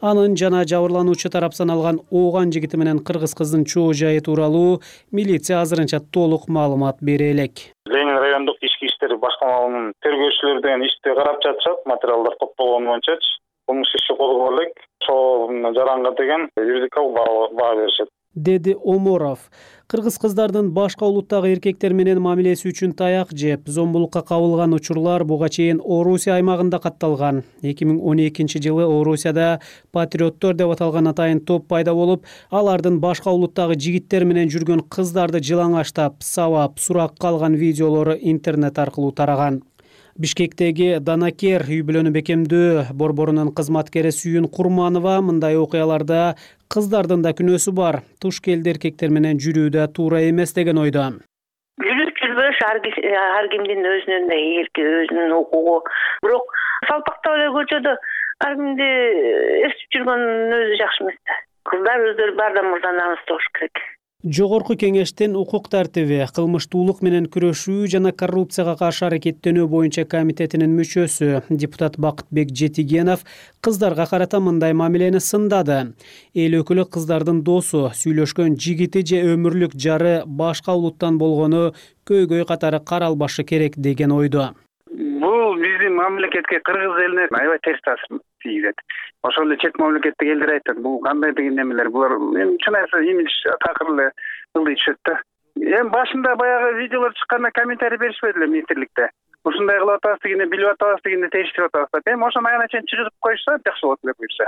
Анын жана жабырлануучу тарап саналган ооган жигити менен кыргыз кыздын чоо жайы тууралуу милиция азырынча толук маалымат бере элек. Ленин райондук ички иштер башкармалыгынын тергөөчүлөрү деген ишти карап жатышат, материалдар топтолгон боюнчачы. Кылмыш иши козголуп элек. Ошо жаранга деген юридикалык баа беришет, деди Оморов. Кыргыз кыздардын башка улуттагы эркектер менен мамилеси үчүн таяк жеп, зомбулукка кабылган учурлар буга чейин Орусия аймагында катталган. эки миң он экинчи жылы Орусияда патриоттор деп аталган атайын топ пайда болуп, алардын башка улуттагы жигиттер менен жүргөн кыздарды жылаңаштап, сабап, суракка алган видеолору интернет аркылуу тараган. Бишкектеги Данакер үй бүлөнү бекемдөө борборунун кызматкери Сүйүн Курманова мындай окуяларда кыздардын да күнөөсү бар, туш келди эркектер менен жүрүүдө туура эмес деген ойдо. Жүрүп жүрбөш ар кимдин өзүнүн да эрки, өзүнүн укугу. Бирок салпактап эле көчөдө ар кимди эстип жүргөн өзү жакшы эмес да. Кыздар өздөрү баардан мурда намыстуу болуш керек. Жогорку кеңештин укук тартиби, кылмыштуулук менен күрөшүү жана коррупцияга каршы аракеттенүү боюнча комитетинин мүчөсү депутат Бакытбек Жетигенов кыздарга карата мындай мамилени сындады. Эл өкүлү кыздардын досу, сүйлөшкөн жигити же өмүрлүк жары башка улуттан болгону көйгөй катары каралбашы керек деген ойдо. Бул биздин мамлекетке, кыргыз элине аябай терс таасир тийгизет. Ошол эле чет мамлекеттеги элдер айтат, бул кандай деген немелер, булар эми чын айтса имидж такыр эле ылдый түшөт да. Эми башында баягы видеолор чыкканда комментарий беришпеди эле министрликте. Ушундай кылып атабыз дегенде, билип атабыз дегенде териштирип атабыз деп. Эми ошону аягына чейин чыгырып коюшса жакшы болот эле буюрса.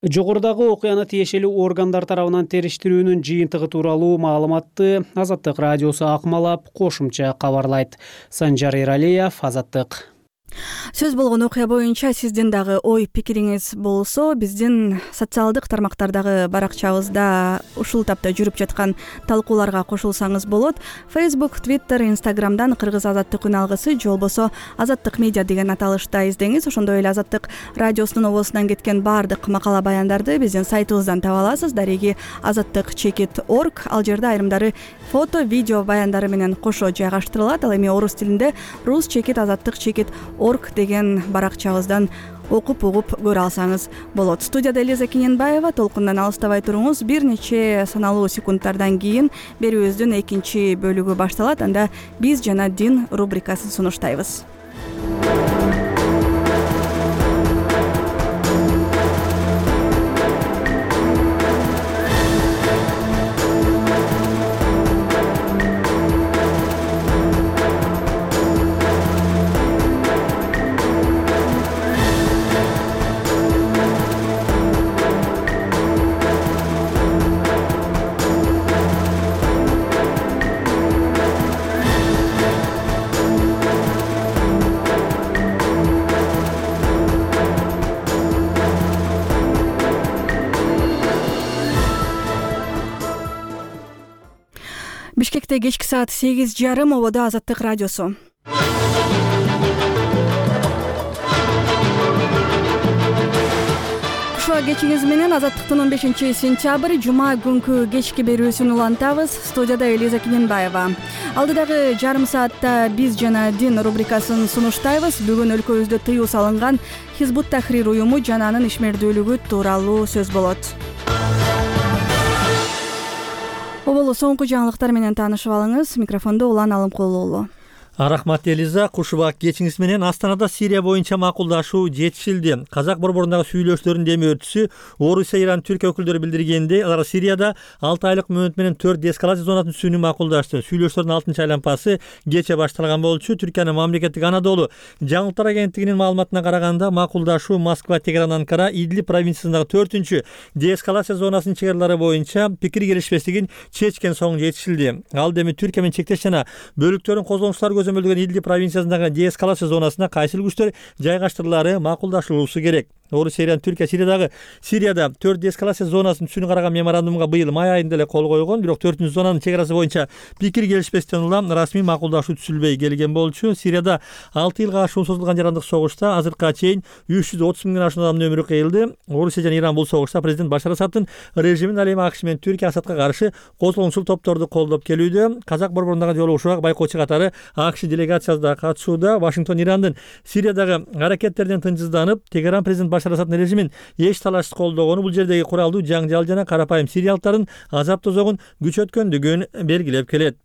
Жогорудагы окуяны тиешелүү органдар тарабынан териштирүүнүн жыйынтыгы тууралуу маалыматты Азаттык радиосу акмалап кошумча кабарлайт. Санжар Эралиев, Азаттык. Сөз болгон окуя боюнча сиздин дагы ой пикириңиз болсо биздин социалдык тармактардагы баракчабызда ушул тапта жүрүп жаткан талкууларга кошулсаңыз болот. Facebook, Twitter, Instagram'дан Кыргыз Азаттык үн алгысы же болбосо Азаттык медиа деген аталышта издеңиз. Ошондой эле Азаттык радиосунун обосунан кеткен баардык макала баяндарды биздин сайтыбыздан таба аласыз. Дареги азаттык чекит орг. Ал жерде айрымдары фото, видео баяндары менен кошо жайгаштырылат. Ал эми орус тилинде рус чекит азаттык чекит орг деген баракчабыздан окуп угуп көрө алсаңыз болот. Студияда Элиза Кененбаева. Толкундан алыстабай туруңуз. Бир нече саналуу секундтардан кийин берүүбүздүн экинчи бөлүгү башталат. Анда биз жана дин рубрикасын сунуштайбыз. Бишкекте кечки саат сегиз жарым ободо Азаттык радиосу. Кушуа кечиңиз менен Азаттыктын он бешинчи сентябрь жума күнкү кечки берүүсүн улантабыз. Студияда Элиза Кененбаева. Алдыдагы жарым саатта биз жана дин рубрикасын сунуштайбыз. Бүгүн өлкөбүздө тыюу салынган Хизбут Тахрир уюму жана анын ишмердүүлүгү тууралуу сөз болот. Оболу соңку жаңылыктар менен таанышып алыңыз. Микрофондо Улан Алымкулуулу. Рахмат Элиза. Кушубак кечиңиз менен Астанада Сирия боюнча макулдашуу жетишилди. Казак борборундагы сүйлөшүүлөрдүн деми өртүсү Орусия, Иран, Түркия өкүлдөрү билдиргендей, алар Сирияда алты айлык мөөнөт менен төрт деэскалация зонасын түзүүнү макулдашты. Сүйлөшүүлөрдүн алтынчы айланпасы кече башталган болчу. Түркиянын мамлекеттик Анадолу жаңылыктар агенттигинин маалыматына караганда, макулдашуу Москва, Тегеран, Анкара, Идлиб провинциясындагы төртүнчү деэскалация зонасынын чегарлары боюнча пикир келишпестигин чечкен соң жетишилди. Ал эми Түркия менен чектеш жана бөлүктөрүн козгонуштар көзөмөлдөгөн Идлиб провинциясындагы деэскалация зонасына кайсыл күчтөр жайгаштырылары макулдашылуусу керек. Орусия, Иран, Түркия Сириядагы Сирияда төрт деэскалация зонасын түзүүнү караган меморандумга быйыл май айында эле кол койгон, бирок төртүнчү зонанын чегарасы боюнча пикир келишпестен улам расмий макулдашуу түзүлбөй келген болчу. Сирияда алты жылга ашуун созулган жарандык согушта азыркыга чейин үч жүз отуз миңден ашуун адамдын өмүрү кыйылды. Орусия жана Иран бул согушта президент Башар Асадтын режимин ал эми АКШ менен Түркия Асадка каршы козголгунчул топторду колдоп келүүдө. Казак борборундагы жолугушууга байкоочу катары АКШ делегациясы да катышууда. Вашингтон Ирандын Сириядагы аракеттеринен тынчсызданып, Тегеран президент Башар Асадтын режимин эч талашсыз колдогону, бул жердеги куралдуу жаңжал жана карапайым сириялыктардын азап тозогун күчөткөндүгүн белгилеп келет.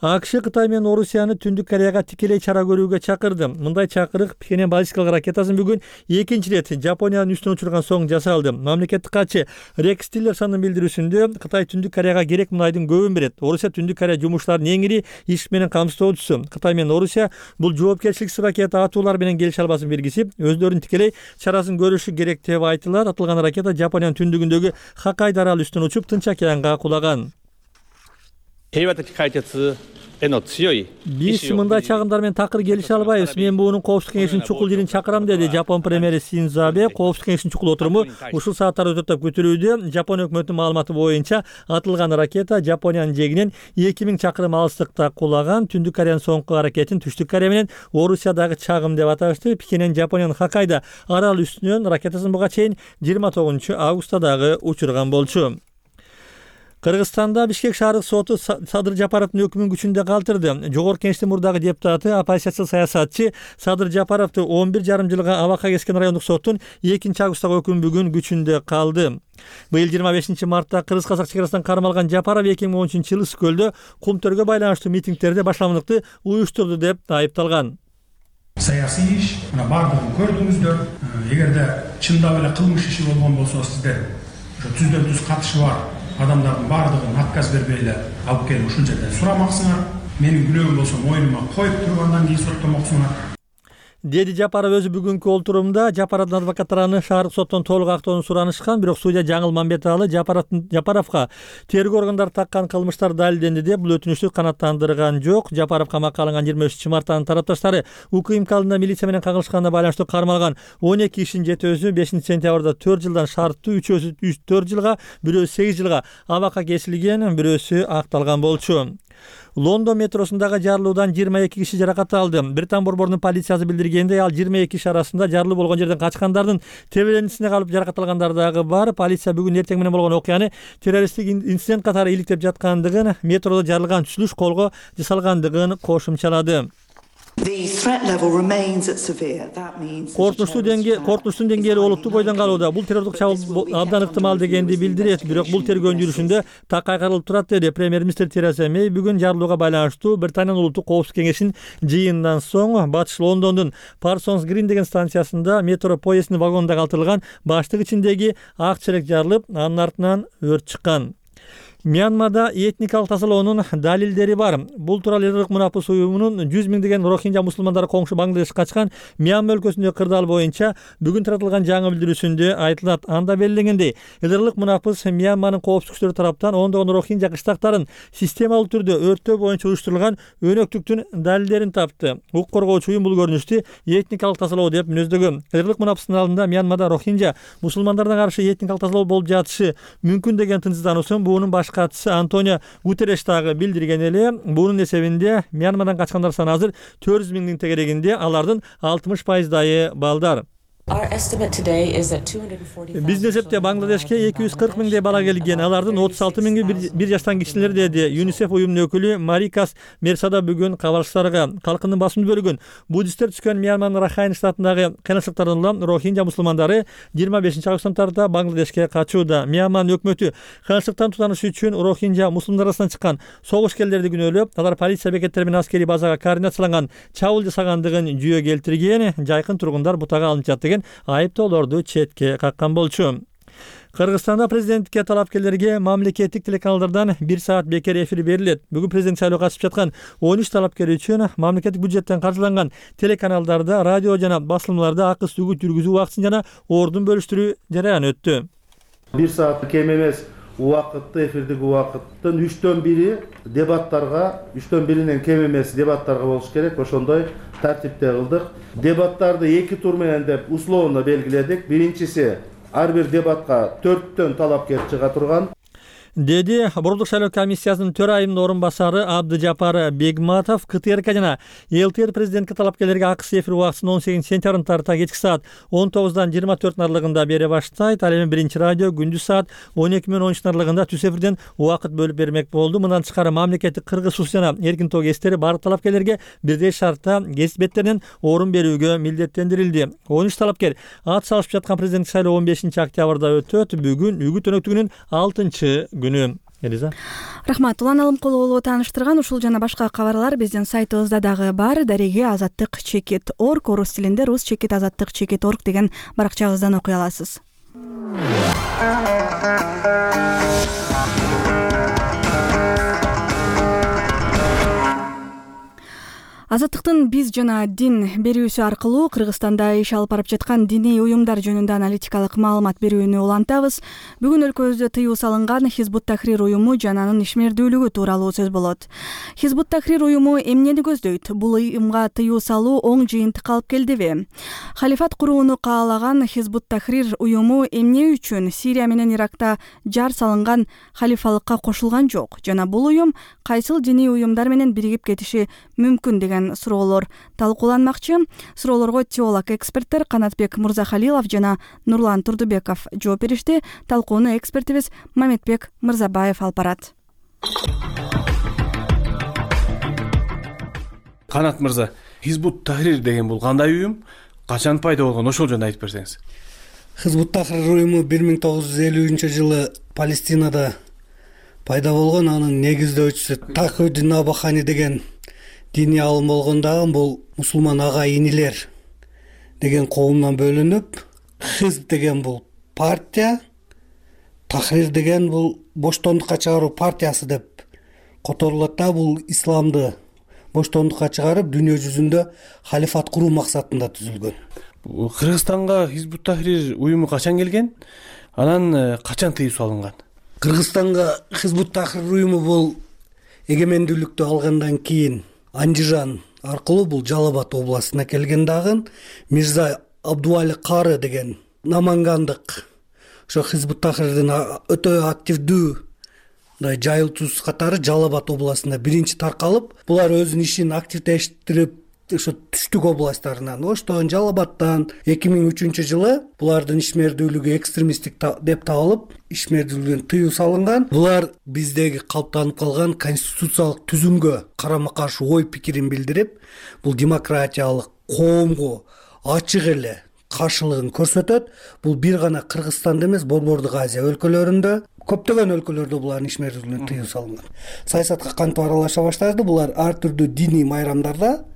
АКШ Кытай менен Орусияны Түндүк Кореяга тикелей чара көрүүгө чакырды. Мындай чакырык Пхеньян баллистикалык ракетасын бүгүн экинчи ирет Жапониянын үстүнө учурган соң жасалды. Мамлекеттик катчы Рекс Тиллерсондун билдирүүсүндө Кытай Түндүк Кореяга керек мунайдын көбүн берет. Орусия Түндүк Корея жумушчуларынын эң ири иш менен камсыздоочусу. Кытай менен Орусия бул жоопкерчиликсиз ракета атуулар менен келишим албасын бергисип, өздөрүнүн тикелей чарасын көрүшү керек деп айтылат. Атылган ракета Жапониянын түндүгүндөгү Хоккайдо аралы үстүнө учуп, Тынч океанга кулаган. Биз мындай чагымдар менен такыр келише албайбыз. Мен буунун коопсуздук кеңешинин чукул жирин чакырам, деди Жапон премьери Синдзо Абе. Коопсуздук кеңешинин чукул отуруму ушул сааттарда өтөт деп күтүлүүдө. Жапон өкмөтүнүн маалыматы боюнча атылган ракета Жапониянын жегинен эки миң чакырым алыстыкта кулаган. Түндүк Кореянын соңку аракетин Түштүк Корея менен Орусиядагы чагым деп аташты. Пхеньян Жапониянын Хоккайдо аралы үстүнөн ракетасын буга чейин жыйырма тогузунчу августта дагы учурган болчу. Кыргызстанда Бишкек шаардык соту Садыр Жапаровдун өкүмүн күчүндө калтырды. Жогорку Кеңештин мурдагы депутаты, оппозициялык саясатчы Садыр Жапаровду он бир жарым жылга абакка кескен райондук соттун экинчи августтагы өкүмү бүгүн күчүндө калды. Быйыл жыйырма бешинчи мартта кыргыз-казак чегарасынан кармалган Жапаров эки миң он үчүнчү жылы Ысык көлдө кум төргө байланыштуу митингдерде башламдыкты уюштурду деп айыпталган. Саясий иш, мына бардыгын көрдүңүздөр. Эгерде чындап эле кылмыш иши болгон болсо, сиздер ошо түздөн түз катышы бар адамдардын бардыгын отказ бербей эле алып келип ушул жерден сурамаксыңар. Менин күнөөм болсо мойнума коюп тургандан кийин соттомоксуңар. деди Жапаров өзү бүгүнкү олтурумда. Жапаровдун адвокаттары аны шаардык соттон толук актоону суранышкан, бирок судья Жаңыл Мамбеталы Жапаровго тергөө органдары таккан кылмыштар далилденди деп бул өтүнүчтү канааттандырган жок. Жапаров камакка алынган жыйырма үчүнчү марттан тарапташтары УКМК алдында милиция менен кагылышканына байланыштуу кармалган он эки кишинин жетөөсү бешинчи сентябрда төрт жылдан шарттуу, үчөөсү төрт жылга, бирөөсү сегиз жылга абакка кесилген, бирөөсү акталган болчу. Лондон метросундагы жарылуудан жыйырма эки киши жаракат алды. Британ борборунун полициясы билдиргендей, ал жыйырма эки киши арасында жарылуу болгон жерден качкандардын тебелендисине калып жаракат алгандар дагы бар. Полиция бүгүн эртең менен болгон окуяны террористтик инцидент катары иликтеп жаткандыгын, метродо жарылган түзүлүш колго жасалгандыгын кошумчалады. Коркунучтуу деңгээль коркунучтун деңгээли олуттуу бойдон калууда. Бул террордук чабуул абдан ыктымал дегенди билдирет, бирок бул тергөөнүн жүрүшүндө так кайрылып турат, деди премьер-министр Тереза Мэй бүгүн жарылууга байланыштуу Британиянын улуттук коопсуздук кеңешинин жыйынынан соң батыш Лондондун Parsons Green деген станциясында метро поезддин вагонунда калтырылган баштык ичиндеги ак челек жарылып, анын артынан өрт чыккан. Мьянмада этникалык тазалоонун далилдери бар. Бул тууралуу Ырлык мунапыс уюмунун жүз миңдеген рохинжа мусулмандары коңшу Бангладеш качкан Мьянма өлкөсүндөгү кырдаал боюнча бүгүн таратылган жаңы билдирүүсүндө айтылат. Анда белгиленгендей, Ырлык мунапыс Мьянманын коопсуздук күчтөрү тараптан ондогон рохинжа кыштактарын системалуу түрдө өрттөө боюнча уюштурулган өнөктүктүн далилдерин тапты. Укук коргоочу уюм бул көрүнүштү этникалык тазалоо деп мүнөздөгөн. Ырлык мунапыстын алдында Мьянмада рохинжа мусулмандарына каршы этникалык тазалоо болуп жатышы мүмкүн деген тынчсыздануусун буунун баш катчысы Антонио Гутерреш дагы билдирген эле. Бунун эсебинде Мьянмадан качкандар саны азыр төрт жүз миңдин тегерегинде, алардын алтымыш пайыздайы балдар. Биздин эсепте Бангладешке эки жүз кырк миңдей бала келген, алардын отуз алты миңи бир жаштан кичилер, деди ЮНИСЕФ уюмунун өкүлү Марикас Мерсада бүгүн кабарчыларга. Калкындын басымдуу бөлүгүн буддисттер түшкөн Мьянманын Рахайн штатындагы кыйынчылыктардан улам рохинжа мусулмандары жыйырма бешинчи августтан тарта Бангладешке качууда. Мьянманын өкмөтү кыйынчылыктан тутаныш үчүн рохинжа мусулмандар арасынан чыккан согушкерлерди күнөөлөп, алар полиция бекеттери менен аскерий базага координацияланган чабуул жасагандыгын жүйө келтирген. Жайкын тургундар бутага алынып жатты, айыптоолорду четке каккан болчу. Кыргызстанда президенттикке талапкерлерге мамлекеттик телеканалдардан бир саат бекер эфир берилет. Бүгүн президент шайлоого катышып жаткан он үч талапкер үчүн мамлекеттик бюджеттен каржыланган телеканалдарда, радио жана басылмаларда акы үгүт жүргүзүү убактысын жана ордун бөлүштүрүү жараяны өттү. бир саат кем эмес убакытты, эфирдик убакыттын үчтөн бири дебаттарга, үчтөн биринен кем эмес дебаттарга болуш керек. Ошондой тартипте кылдык. Дебаттарды эки тур менен деп условно белгиледик. Биринчиси ар бир дебатка төрттөн талапкер чыга турган, деди Борбордук шайлоо комиссиясынын төрайымынын орун басары Абдыжапар Бегматов. КТРК жана ЛТР президентке талапкерлерге акысыз эфир убактысын он сегизинчи сентябрдан тарта кечки саат он тогуздан жыйырма төрттүн аралыгында бере баштайт. Ал эми биринчи радио күндүз саат он эки менен он үчтүн аралыгында түз эфирден убакыт бөлүп бермек болду. Мындан тышкары мамлекеттик Кыргыз сус жана Эркин тоо гезиттери баардык талапкерлерге бирдей шартта гезит беттеринен орун берүүгө милдеттендирилди. он үч талапкер ат салышып жаткан президенттик шайлоо он бешинчи октябрда өтөт. Бүгүн үгүт өнөктүгүнүн алтынчы күнү. Элиза. Рахмат. Улан Алымкулуулу тааныштырган ушул жана башка кабарлар биздин сайтыбызда дагы бар. Дареги азаттык чекит орг, орус тилинде рус чекит азаттык чекит орг деген баракчабыздан окуй аласыз. Азаттыктын биз жана дин берүүсү аркылуу Кыргызстанда иш алып барып жаткан диний уюмдар жөнүндө аналитикалык маалымат берүүнү улантабыз. Бүгүн өлкөбүздө тыюу салынган Хизбут Тахрир уюму жана анын ишмердүүлүгү тууралуу сөз болот. Хизбут Тахрир уюму эмнени көздөйт? Бул уюмга тыюу салуу оң жыйынтык алып келдиби? Халифат курууну каалаган Хизбут Тахрир уюму эмне үчүн Сирия менен Иракта жар салынган халифалыкка кошулган жок? Жана бул уюм кайсыл диний уюмдар менен биригип кетиши мүмкүн деген суроолор талкууланмакчы. Суроолорго теолог эксперттер Канатбек Мырзахалилов жана Нурлан Турдубеков жооп беришти. Талкууну экспертибиз Маметбек Мырзабаев алып барат. Канат мырза, Хизбут Тахрир деген бул кандай уюм? Качан пайда болгон? Ошол жөнүндө айтып берсеңиз. Хизбут Тахрир уюму бир миң тогуз жүз элүүнчү жылы Палестинада пайда болгон. Анын негиздөөчүсү Тахуиддин Абахани деген диний алым болгон дагы бул мусулман ага инилер деген коомдон бөлүнүп, Хизб деген бул партия, Тахрир деген бул боштондукка чыгаруу партиясы деп которулат да. Бул исламды боштондукка чыгарып дүйнө жүзүндө халифат куруу максатында түзүлгөн. Кыргызстанга Хизбут Тахрир уюму качан келген? Анан качан тыюу салынган? Кыргызстанга Хизбут Тахрир уюму бул эгемендүүлүктү алгандан кийин Андижан аркылуу бул Жалал Абад областына келген дагы Мирза Абдуали Кары деген намангандык ошо Хизбут Тахрирдин өтө активдүү мындай жайылтуучусу катары Жалал Абад областында биринчи таркалып, булар өзүнүн ишин активдештирип ошо түштүк областтарынан, Оштон, Жалал Абадтан эки миң үчүнчү жылы булардын ишмердүүлүгү экстремисттик деп табылып, ишмердүүлүгүн тыюу салынган. Булар биздеги калыптанып калган конституциялык түзүмгө карама каршы ой пикирин билдирип, бул демократиялык коомго ачык эле каршылыгын көрсөтөт. Бул бир гана Кыргызстанда эмес, Борбордук Азия өлкөлөрүндө, көптөгөн өлкөлөрдө булардын ишмердүүлүгүн тыюу салынган. Саясатка кантип аралаша баштады? Булар ар түрдүү диний майрамдарда,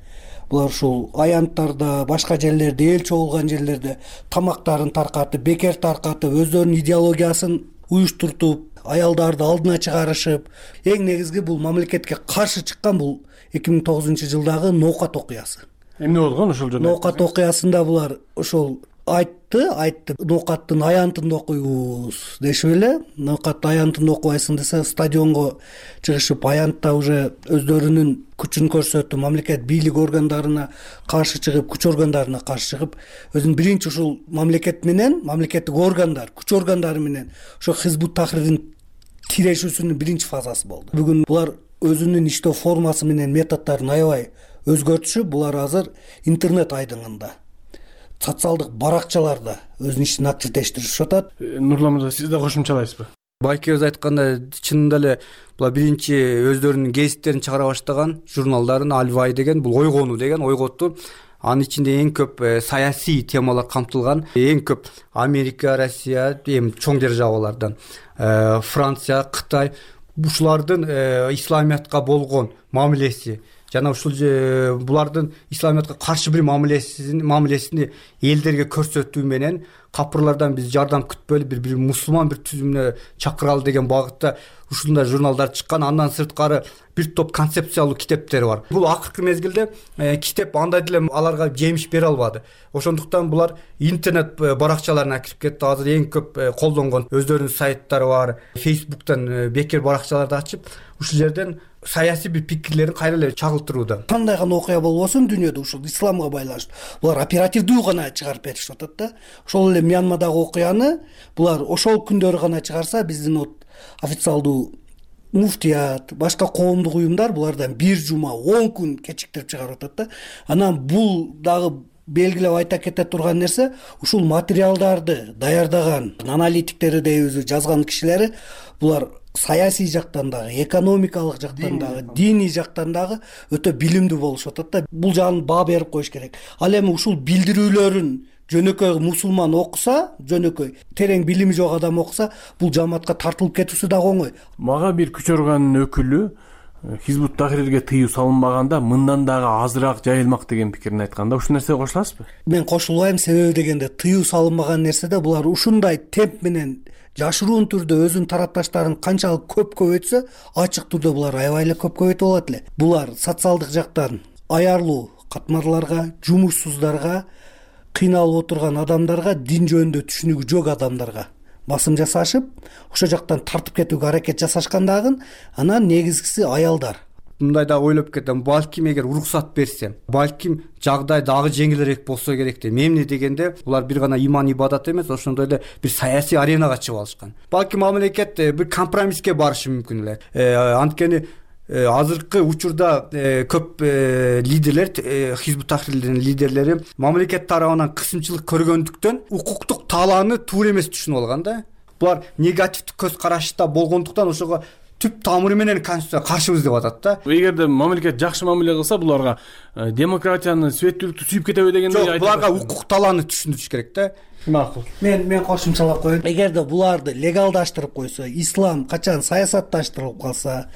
булар ушул аянттарда, башка жерлерде, эл чогулган жерлерде тамактарын таркатып, бекер тартып, өздөрүнүн идеологиясын уюштуртуп, аялдарды алдына чыгарышып, эң негизги бул мамлекетке каршы чыккан бул эки миң тогузунчу жылдагы Ноокат окуясы. Эмне болгон ошол жерде? Ноокат окуясында булар ошол айтты, айтты Ноокаттын аянтын окуйбуз дешип эле. Ноокат аянтын окубайсың десе, стадионго чыгышып, аянтта уже өздөрүнүн күчүн көрсөтүп, мамлекет бийлик органдарына каршы чыгып, күч органдарына каршы чыгып, өзүнүн биринчи ушул мамлекет менен, мамлекеттик органдар, күч органдары менен ошо Хизбут Тахрирдин тирешүүсүнүн биринчи фазасы болду. Бүгүн булар өзүнүн иштөө формасы менен методдорун аябай өзгөртүшүп, булар азыр интернет айдыңында, социалдык баракчаларда өзүнүн ишин активдештиришип атат. Нурлан мырза, сиз да кошумчалайсызбы? Байкебиз айткандай, чынында эле булар биринчи өздөрүнүн гезиттерин чыгара баштаган, журналдарын Альвай деген, бул ойгонуу деген ойготту. Анын ичинде эң көп саясий темалар камтылган. Эң көп Америка, Россия, эми чоң державалардан, Франция, Кытай, ушулардын исламиятка болгон мамилеси жана ушул булардын исламиятка каршы бир мамилесин мамилесини элдерге көрсөтүү менен капырлардан биз жардам күтпөйлү бир бир мусулман бир түзүмүнө чакыралы деген багытта ушундай журналдар чыккан. Андан сырткары бир топ концепциялуу китептер бар. Бул акыркы мезгилде китеп андай деле аларга жемиш бере албады. Ошондуктан булар интернет баракчаларына кирип кетти. Азыр эң көп колдонгон өздөрүнүн сайттары бар. Facebook'тан бекер баракчаларды ачып, ушул жерден саясий бир пикирлерин кайра эле чагылтырууда. Кандай гана окуя болбосун дүйнөдө ушул исламга байланыштуу булар оперативдүү гана чыгарып беришип атат да. Ошол эле Мьянмадагы окуяны булар ошол күндөрү гана чыгарса, биздин вот официалдуу муфтият, башка коомдук уюмдар булардан бир жума, он күн кечиктирип чыгарып атат да. Анан бул дагы белгилеп айта кете турган нерсе, ушул материалдарды даярдаган аналитиктери дейбиз, жазган кишилери булар саясий жактан дагы, экономикалык жактан дагы, диний жактан дагы өтө билимдүү болушуп атат да. Бул жагын баа берип коюш керек. Ал эми ушул билдирүүлөрүн жөнөкөй мусулман окуса, жөнөкөй терең билими жок адам окуса, бул жамаатка тартылып кетүүсү дагы оңой. Мага бир күч органынын өкүлү Хизбут Тахрирге тыюу салынбаганда мындан дагы азыраак жайылмак деген пикирин айткан да. Ушул нерсеге кошуласызбы? Мен кошулбайм. Себеби дегенде тыюу салынбаган нерседе булар ушундай темп менен жашыруун түрдө өзүнүн тарапташтарын канчалык көп көбөйтсө, ачык түрдө булар аябай эле көп көбөйтүп алат эле. Булар социалдык жактан аярлуу катмарларга, жумушсуздарга, кыйналып отурган адамдарга, дин жөнүндө түшүнүгү жок адамдарга басым жасашып, ошо жактан тартып кетүүгө аракет жасашкан дагы. Анан негизгиси аялдар. Мындай да ойлоп кетем, балким эгер уруксат берсе, балким жагдай дагы жеңилирээк болсо керек деп. Эмне дегенде, булар бир гана иман ибадат эмес, ошондой эле бир саясий аренага чыгып алышкан. Балким мамлекет бир компромисске барышы мүмкүн эле. Анткени азыркы учурда көп лидерлер, Хизбут Тахрирдин лидерлери мамлекет тарабынан кысымчылык көргөндүктөн укуктук талааны туура эмес түшүнүп алган да. Булар негативдик көз карашта болгондуктан ошого түп тамыры менен конституцияга каршыбыз деп атат да. Эгерде мамлекет жакшы мамиле кылса, буларга демократияны, светтүүлүктү сүйүп кетеби дегендей айтып. Буларга укук талааны түшүндүрүш керек да. Макул. Мен мен кошумчалап коеюн. Эгерде буларды легалдаштырып койсо, ислам качан саясатташтырылып калса,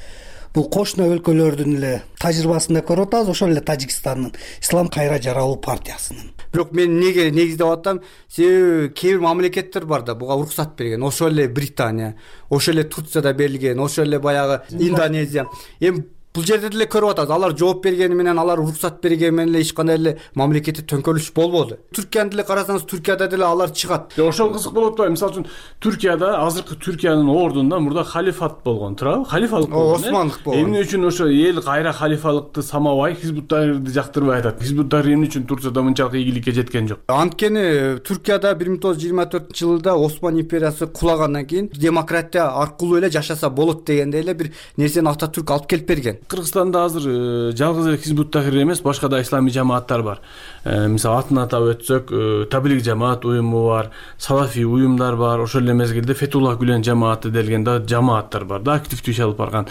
бул кошуна өлкөлөрдүн эле тажрыйбасында көрүп атабыз, ошол эле Тажикстандын Ислам кайра жаралуу партиясынын. Бирок мен неге негиздеп атам, себеби кээ бир мамлекеттер бар да буга уруксат берген. Ошол эле Британия, ошол эле Турцияда берилген, ошол эле баягы Индонезия. Эми бул жерде деле көрүп атабыз, алар жооп бергени менен, алар уруксат бергени менен эле эч кандай эле мамлекетте төңкөрүлүш болбоду. Түркияны деле карасаңыз, Түркияда деле алар чыгат. Ошол кызык болуп атпайбы? Мисалы үчүн Түркияда азыркы Түркиянын ордунда мурда халифат болгон, туурабы? Халифалык болгон. Османдык болгон. Эмне үчүн ошо эл кайра халифалыкты самабай, Хизбут Тахрирди жактырбай атат? Хизбут Тахрир эмне үчүн Турцияда мынчалык ийгиликке жеткен жок? Анткени Түркияда бир миң тогуз жүз жыйырма төртүнчү жылда Осман империясы кулагандан кийин демократия аркылуу эле жашаса болот дегендей эле бир нерсени Ататүрк алып келип берген. Кыргызстанда азыр жалгыз эле Хизбут Тахрир эмес, башка да исламий жамааттар бар. Мисалы атын атап өтсөк, Таблиг жамаат уюму бар, салафий уюмдар бар, ошол эле мезгилде Фетуллах Гүлен жамааты делген да жамааттар бар да, активдүү иш алып барган.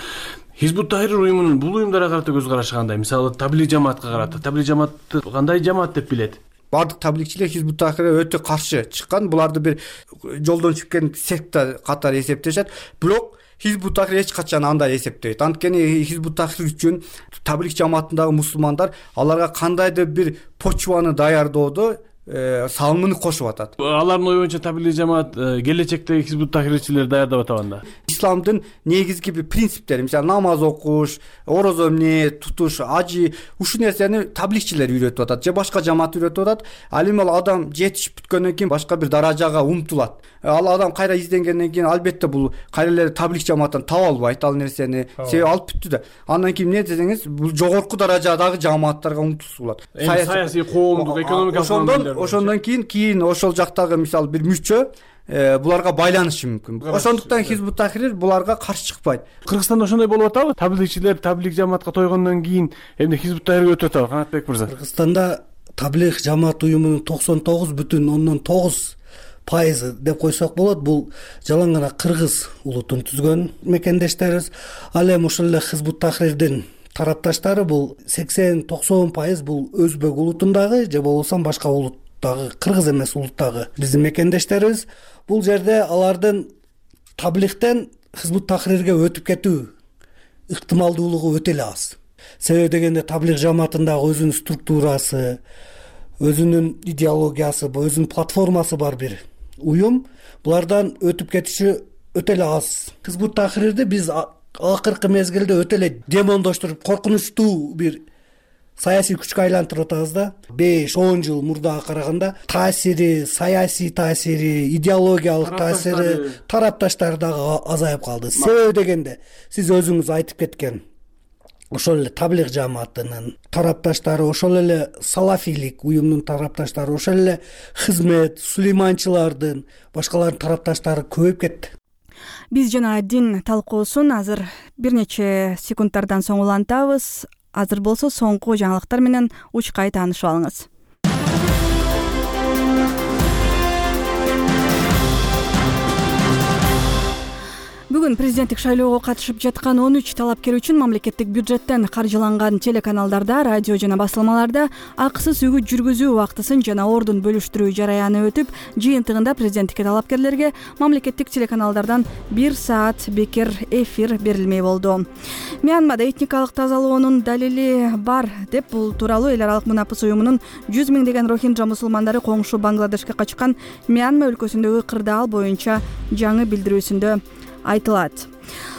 Хизбут Тахрир уюмунун бул уюмдарга карата көз карашы кандай? Мисалы Таблиг жамаатка карата, Таблиг жамаатты кандай жамаат деп билет? Бардык таблигчилер Хизбут Тахрирге өтө каршы чыккан, буларды бир жолдон чыккан секта катары эсептешет. Бирок Хизбут Тахрир эч качан андай эсептебейт. Анткени Хизбут Тахрир үчүн таблиг жамаатындагы мусулмандар аларга кандайдыр бир почваны даярдоодо салымын кошуп атат. Алардын ою боюнча таблиг жамаат келечектеги Хизбут Тахрирчилер даярдап атат анда. Исламдын негизги бир принциптери, мисалы намаз окуш, орозо эмне тутуш, ажы, ушул нерсени таблигчилер үйрөтүп атат же башка жамаат үйрөтүп атат. Ал эми ал адам жетишип бүткөндөн кийин башка бир даражага умтулат. Ал адам кайра изденгенден кийин албетте бул кайра эле таблиг жамааттан таба албайт ал нерсени. Себеби алып бүттү да. Андан кийин эмне десеңиз, бул жогорку даражадагы жамааттарга умтулса болот. Саясий, коомдук, экономикалык. Ошондон кийин кийин ошол жактагы мисалы бир мүчө буларга байланышы мүмкүн. Ошондуктан Хизбут Тахрир буларга каршы чыкпайт. Кыргызстанда ошондой болуп атабы? Таблигчилер таблиг жамаатка тойгондон кийин эмне Хизбут Тахрирге өтүп атабы, Канатбек мырза? Кыргызстанда таблиг жамаат уюмунун токсон тогуз бүтүн ондон тогуз пайызы деп койсок болот. Бул жалаң гана кыргыз улутун түзгөн мекендештерибиз. Ал эми ошол эле Хизбут Тахрирдин тарапташтары бул сексен токсон пайыз бул өзбек улутундагы же болбосо башка улут кыргыз эмес улуттагы биздин мекендештерибиз. Бул жерде алардын таблигтен Хизбут Тахрирге өтүп кетүү ыктымалдуулугу өтө эле аз. Себеби дегенде таблиг жамаатындагы өзүнүн структурасы, өзүнүн идеологиясы, өзүнүн платформасы бар бир уюм. Булардан өтүп кетиши өтө эле аз. Хизбут Тахрирди биз акыркы мезгилде өтө эле демондоштуруп, коркунучтуу бир саясий күчкө айлантырып атабыз да. беш он жыл мурдага караганда таасири, саясий таасири, идеологиялык таасири, тарапташтары дагы азайып калды. Себеби дегенде сиз өзүңүз айтып кеткен ошол эле таблиг жамаатынын тарапташтары, ошол эле салафийлик уюмдун тарапташтары, ошол эле хизмет, сулейманчылардын, башкалардын тарапташтары көбөйүп кетти. Биз жана дин талкуусун азыр бир нече секундтардан соң улантабыз. Азыр болсо соңку жаңылыктар менен учкай таанышып алыңыз. Бүгүн президенттик шайлоого катышып жаткан он үч талапкер үчүн мамлекеттик бюджеттен каржыланган телеканалдарда, радио жана басылмаларда акысыз үгүт жүргүзүү убактысын жана ордун бөлүштүрүү жараяны өтүп, жыйынтыгында президенттикке талапкерлерге мамлекеттик телеканалдардан бир саат бекер эфир берилмей болду. Мьянмада этникалык тазалоонун далили бар деп, бул тууралуу эл аралык Мунапыс уюмунун жүз миңдеген рохинджа мусулмандары коңшу Бангладешке качкан Мьянма өлкөсүндөгү кырдаал боюнча жаңы билдирүүсүндө айтылат.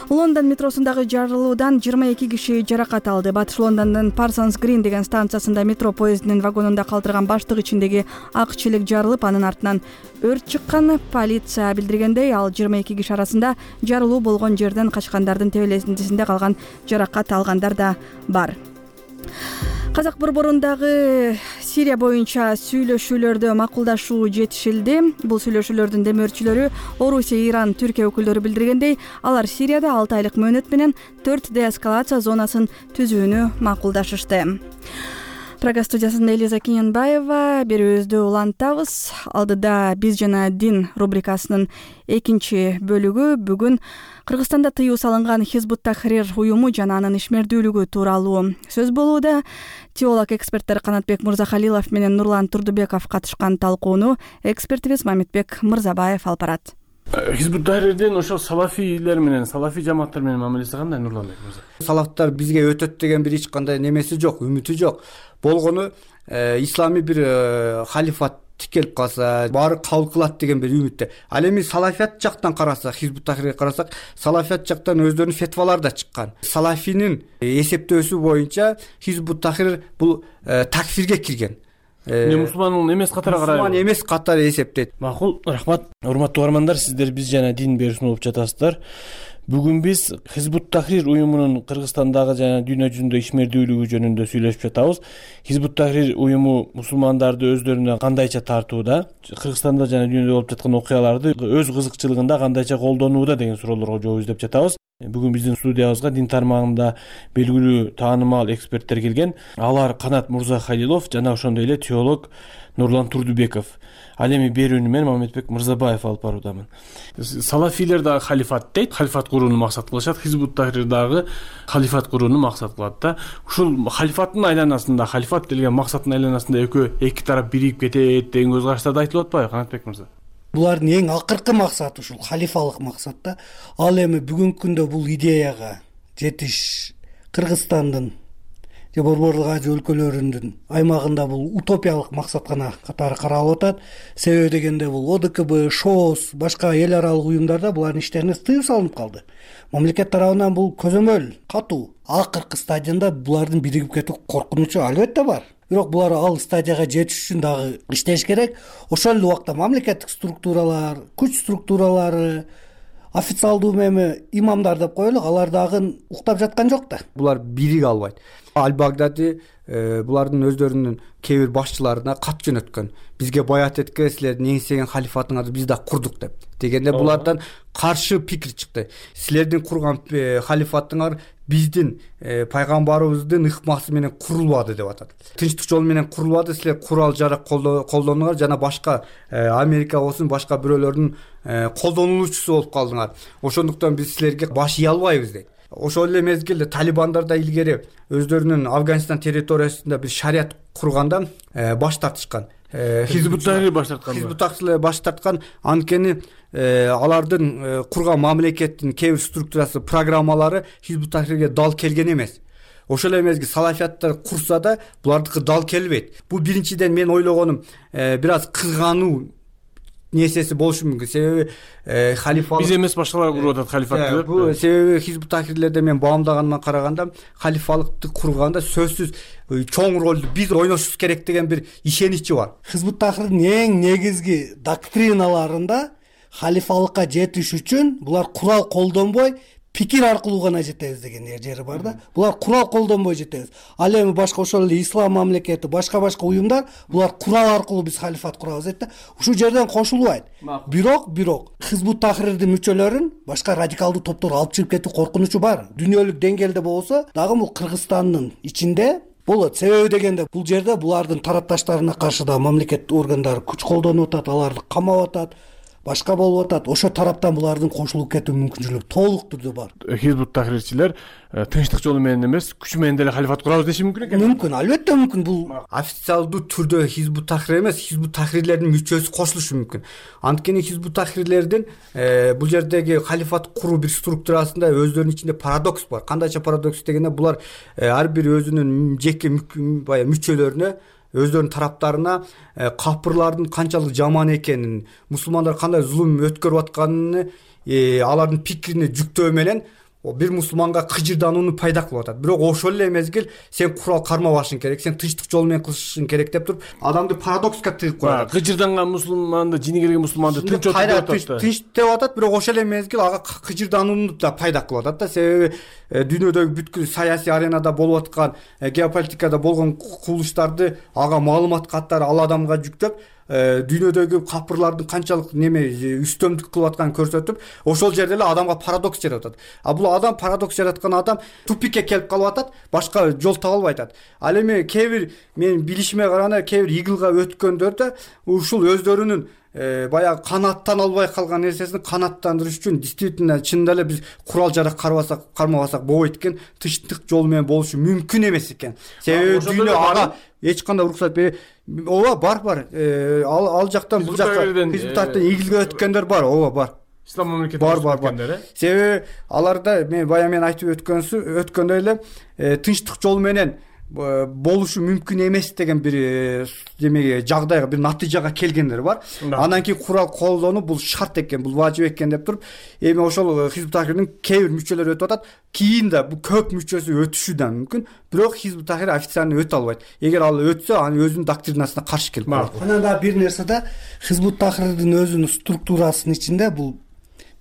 Лондон метросундагы жарылуудан жыйырма эки киши жаракат алды. Батыш Лондондун Parsons Green деген станциясында метро поездинин вагонунда калтырган баштык ичиндеги ак челек жарылып, анын артынан өрт чыккан. Полиция билдиргендей, ал жыйырма эки киши арасында жарылуу болгон жерден качкандардын тебелесинде калган жаракат алгандар да бар. Казак борборундагы Сирия боюнча сүйлөшүүлөрдө макулдашуу жетишилди. Бул сүйлөшүүлөрдүн демөөрчүлөрү Орусия, Иран, Түркия өкүлдөрү билдиргендей, алар Сирияда алты айлык мөөнөт менен төрт деэскалация зонасын түзүүнү макулдашышты. Прага студиясында Элиза Киненбаева, берүүбүздү улантабыз. Алдыда биз жана дин рубрикасынын экинчи бөлүгү бүгүн Кыргызстанда тыюу салынган Хизбут Тахрир уюму жана анын ишмердүүлүгү тууралуу сөз болууда. Теолог эксперттер Канатбек Мырзахалилов менен Нурлан Турдубеков катышкан талкууну экспертибиз Мамитбек Мырзабаев алып барат. Хизбут Тахрирдин ошол салафийлер менен, салафий жамааттар менен мамилеси кандай, Нурланбек мырза? Салафтар бизге өтөт деген бир эч кандай немеси жок, үмүтү жок. Болгону исламий бир халифат тикелип калса, баары кабыл кылат деген бир үмүттө. Ал эми салафият жактан карасак, Хизбут Тахрирге карасак, салафият жактан өздөрүнүн фетвалары да чыккан. Салафинин эсептөөсү боюнча Хизбут Тахрир бул такфирге кирген. Мусулман эмес катары карайбы? Мусулман эмес катары эсептейт. Макул, рахмат. Урматтуу угармандар, сиздер биз жана дин берүүсүн угуп жатасыздар. Бүгүн биз Хизбут Тахрир уюмунун Кыргызстандагы жана дүйнө жүзүндө ишмердүүлүгү жөнүндө сүйлөшүп жатабыз. Хизбут Тахрир уюму мусулмандарды өздөрүнө кандайча тартууда, Кыргызстанда жана дүйнөдө болуп жаткан окуяларды өз кызыкчылыгында кандайча колдонууда деген суроолорго жооп издеп жатабыз. Бүгүн биздин студиябызга дин тармагында белгилүү таанымал эксперттер келген. Алар Канат Мурзахалилов жана ошондой эле теолог Нурлан Турдубеков. Ал эми берүүнү мен Мамедбек Мырзабаев алып баруудамын. Салафилер дагы халифат дейт, халифат курууну максат кылышат. Хизбут Тахрир дагы халифат курууну максат кылат да. Ушул халифаттын айланасында, халифат делген максаттын айланасында экөө эки тарап бирип кетет деген көз караштарды айтылып атпайбы, Канатбек мырза? Булардын эң акыркы максаты ушул халифалык максат да. Ал эми бүгүнкү күндө бул идеяга жетиш Кыргызстандын же Борборлук Азия өлкөлөрүнүн аймагында бул утопиялык максат гана катары каралып атат. Себеби дегенде бул О Д К Б, ШОС, башка эл аралык уюмдарда булардын иштерине тыюу салынып калды. Мамлекет тарабынан бул көзөмөл катуу. Акыркы стадионда булардын биригип кетүү коркунучу албетте бар. Бирок булар ал стадияга жетиш үчүн дагы иштеш керек. Ошол эле убакта мамлекеттик структуралар, күч структуралары, официалдуу эми имамдар деп коелу, алар дагы уктап жаткан жок да. Булар бириге албайт. Аль-Багдади булардын өздөрүнүн кээ бир башчыларына кат жөнөткөн. Бизге баят этке, силердин эңсеген халифатыңарды биз да курдук деп. Дегенде булардан каршы пикир чыкты. Силердин курган халифатыңар биздин пайгамбарыбыздын ыкмасы менен курулбады деп атат. Тынчтык жолу менен курулбады, силер курал жарак колдонуңар жана башка Америка болсун, башка бирөөлөрдүн колдонулуучусу болуп калдыңар. Ошондуктан биз силерге баш ий албайбыз дейт. Ошол эле мезгилде талибандар да илгери өздөрүнүн Афганистан территориясында бир шарият курганда баш тартышкан. Хизбут Тахрир баш тарткан. Хизбут Тахрир баш тарткан. Анткени алардын курган мамлекеттин кээ бир структурасы, программалары Хизбут Тахрирге дал келген эмес. Ошол эле мезгил салафияттар курса да булардыкы дал келбейт. Бул биринчиден мен ойлогонум бир аз кызгануу несеси болушу мүмкүн. Себеби халифалык биз эмес башкалар куруп атат халифатты. Бул себеби Хизбут Тахрирлерде мен баамдаганыма караганда халифалыкты курганда сөзсүз чоң ролду биз ойношубуз керек деген бир ишеничи бар. Хизбут Тахрирдин эң негизги доктриналарында халифалыкка жетиш үчүн булар курал колдонбой пикир аркылуу гана жетебиз деген жери бар да. Булар курал колдонбой жетебиз. Ал эми башка ошол эле ислам мамлекети, башка-башка уюмдар булар курал аркылуу биз халифат курабыз дейт да. Ушул жерден кошулбайт. Бирок, бирок Хизбут Тахрирдин мүчөлөрүн башка радикалдуу топтор алып чыгып кетүү коркунучу бар. Дүйнөлүк деңгээлде болсо дагы бул Кыргызстандын ичинде болот. Себеби дегенде бул жерде булардын тарапташтарына каршы да мамлекет органдары күч колдонуп атат, аларды камап атат, башка болуп атат. Ошо тараптан булардын кошулуп кетүү мүмкүнчүлүгү толук түрдө бар. Хизбут Тахрирчилер тынчтык жолу менен эмес, күч менен деле халифат курабыз деши мүмкүн экен. Мүмкүн, албетте мүмкүн. Бул официалдуу түрдө Хизбут Тахрир эмес, Хизбут Тахрирлердин мүчөсү кошулушу мүмкүн. Анткени Хизбут Тахрирлердин бул жердеги халифат куруу бир структурасында өздөрүнүн ичинде парадокс бар. Кандайча парадокс дегенде булар ар бир өзүнүн жеке баягы мүчөлөрүнө, өздөрүнүн тараптарына капырлардын канчалык жаман экенин, мусулмандар кандай зулум өткөрүп атканын алардын пикирине жүктөө менен бир мусулманга кыжырданууну пайда кылып атат. Бирок ошол эле мезгил сен курал кармабашың керек, сен тынчтык жол менен кылышың керек деп туруп адамды парадокска тыгып коет. Кыжырданган мусулманды, жини келген мусулманды тынчтык деп атат. Тынч деп атат, бирок ошол эле мезгил ага кыжырданууну да пайда кылып атат да. Себеби дүйнөдөгү бүткүл саясий аренада болуп аткан, геополитикада болгон кубулуштарды ага маалымат каттары ал адамга жүктөп, дүйнөдөгү капырлардын канчалык неме үстөмдүк кылып атканын көрсөтүп, ошол жерде эле адамга парадокс жаратат. А бул адам парадокс жараткан адам тупикке келип калып атат, башка жол таба албай атат. Ал эми кээ бир мен билишиме караганда кээ бир игылга өткөндөр да ушул өздөрүнүн баягы канаттан албай калган нерсесин канаттандырыш үчүн действительно чынында эле биз курал жарак карбасак, кармабасак болбойт экен, тынчтык жолу менен болушу мүмкүн эмес экен. Себеби дүйнө ага эч кандай уруксат бербейт. Ооба, бар бар. Ал ал жактан бул жакка Хизбут Тахрирден игилге өткөндөр бар, ооба бар. Ислам мамлекети бар бар бар. Себеби аларда мен бая мен айтып өткөнсү өткөндөй эле тынчтык жол менен болушу мүмкүн эмес деген бир демеге жагдайга бир натыйжага келгендер бар. Андан кийин курал колдонуу бул шарт экен, бул важип экен деп туруп, эми ошол Хизбут Тахрирдин кээ бир мүчөлөрү өтүп атат. Кийин да бул көп мүчөсү өтүшү да мүмкүн, бирок Хизбут Тахрир официально өтө албайт. Эгер ал өтсө, анын өзүнүн доктринасына каршы келип калат. Анан да бир нерсе да, Хизбут Тахрирдин өзүнүн структурасынын ичинде бул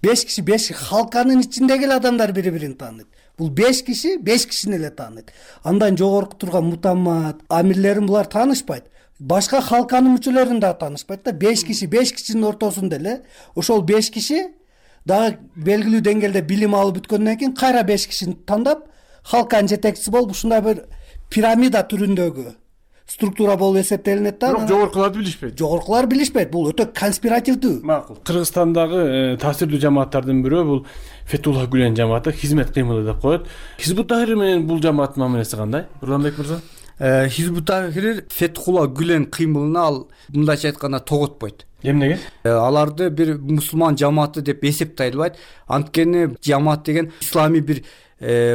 беш киши, беш халканын ичиндеги эле адамдар бири-бирин тааныйт. Бул беш киши, беш кишини эле тааныйт. Андан жогорку турган мутаммат, амирлерин булар таанышпайт. Башка халканын мүчөлөрүн да таанышпайт да. беш киши, беш кишинин ортосунда эле ошол беш киши дагы белгилүү деңгээлде билим алып бүткөндөн кийин кайра беш кишини тандап, халканын жетекчиси болуп ушундай бир пирамида түрүндөгү структура болуп эсептелинет да. Бирок жогоркуларды билишпейт. Жогоркулар билишпейт. Бул өтө конспиративдүү. Макул. Кыргызстандагы таасирдүү жамааттардын бирөө бул Фетулла Гүлен жамааты, хизмет кыймылы деп коет. Хизбут Тахрир менен бул жамааттын мамилеси кандай? Нурланбек мырза? Хизбут Тахрир Фетулла Гүлен кыймылына ал мындайча айтканда тоготпойт. Эмнеге? Аларды бир мусулман жамааты деп эсептей албайт. Анткени жамаат деген исламий бир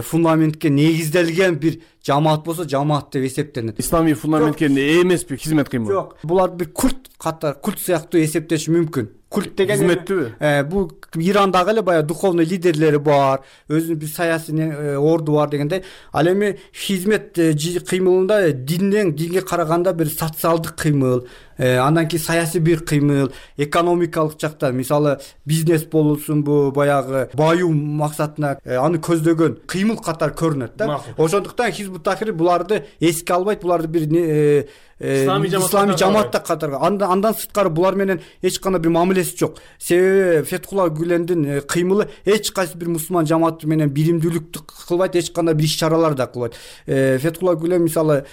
фундаментке негизделген бир жамаат болсо жамаат деп эсептелет. Исламий фундаментке эмеспи хизмет кыймылы? Жок, булар бир культ катар, культ сыяктуу эсептеш мүмкүн. Культ деген хизметтүүбү? Бул Ирандагы эле баягы духовный лидерлери бар, өзүнүн бир саясий орду бар дегендей. Ал эми хизмет кыймылында динден динге караганда бир социалдык кыймыл, андан кийин саясий бир кыймыл, экономикалык жактан, мисалы бизнес болсунбу, баягы баюу максатына аны көздөгөн кыймыл катары көрүнөт да. Ошондуктан Хизбут Тахрир буларды эске албайт, буларды бир исламий жамаатта катары. Андан сырткары булар менен эч кандай бир мамилеси жок. Себеби Фетулла Гүлендин кыймылы эч кайсы бир мусулман жамааты менен биримдүүлүктү кылбайт, эч кандай бир иш-чаралар да кылбайт. Фетулла Гүлен мисалы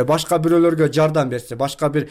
башка бирөөлөргө жардам берсе, башка бир